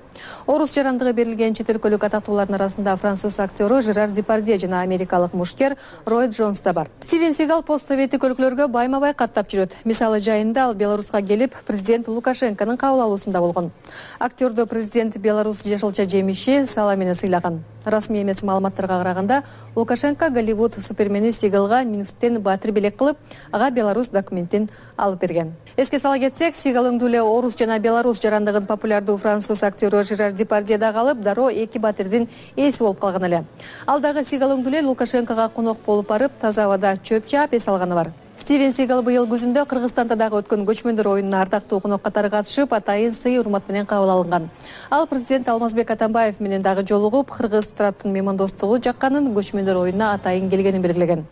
Орус жарандыгы берилген чет өлкөлүк атактуулардын арасында француз актеру Жерар Депардье жана америкалык мушкер Рой Джонс да бар. Стивен Сигал постсоветтик өлкөлөргө байма-бай каттап жүрөт. Мисалы жайында ал Беларуска келип, президент Лукашенконун кабыл алуусунда болгон. Актердо президент Беларусь жашылча жемиши сала менен сыйлаган. Расмий эмес маалыматтарга караганда Лукашенко Голливуд супермени Сигалга Минсктен батир белек кылып, ага Беларусь документин алып берген. Эске сала кетсек, Сигал өңдүү эле орус жана белорус жарандыгын популярдуу француз актёру Жерар Депардье да калып, дароо эки батирдин ээси болуп калган эле. Ал дагы Сигал өңдүү эле Лукашенкого конок болуп барып, таза абада чөп чаап эс алганы бар. Стивен Сигал быйыл күзүндө Кыргызстанда дагы өткөн көчмөндөр оюнуна ардактуу конок катары катышып, атайын сый урмат менен кабыл алынган. Ал президент Алмазбек Атамбаев менен дагы жолугуп, кыргыз тараптын меймандостугу жакканын, көчмөндөр оюнуна атайын келгенин белгилеген.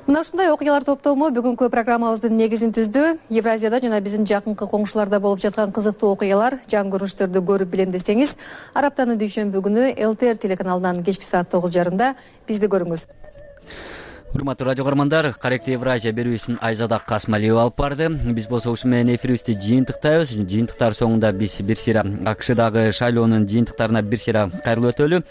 Мына ушундай окуялар топтому бүгүнкү программабыздын негизин түздү. Евразияда жана биздин жакынкы коңшуларда болуп жаткан кызыктуу окуялар, жан көрүнүштөрдү көрүп билем десеңиз, араптанын дүйшөмбү күнү эл тэ эр телеканалынан кечки саат тогуз жарымда бизди көрүңүз. Урматтуу радио көрөрмандар, Каректи Евразия берүүсүн Айзада Касмалиева алып барды. Биз болсо ушу менен эфирибизди жыйынтыктайбыз. Жыйынтыктар соңунда биз бир сыйра АКШдагы шайлоонун жыйынтыктарына бир сыйра кайрылып өтөлү.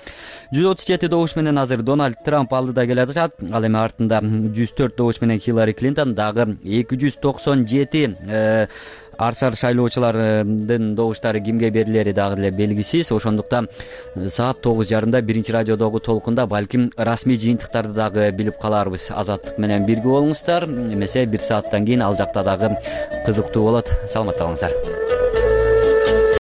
жүз отуз жети добуш менен азыр Дональд Трамп алдыда келе жатат. Ал эми артында жүз төрт добуш менен Хиллари Клинтон, дагы эки жүз токсон жети арсар шайлоочулардын добуштары кимге берилери дагы эле белгисиз. Ошондуктан саат тогуз жарымда биринчи радиодогу толкунда балким расмий жыйынтыктарды дагы билип каларбыз. Азаттык менен бирге болуңуздар. Эмесе бир сааттан кийин ал жакта дагы кызыктуу болот. Саламатта калыңыздар.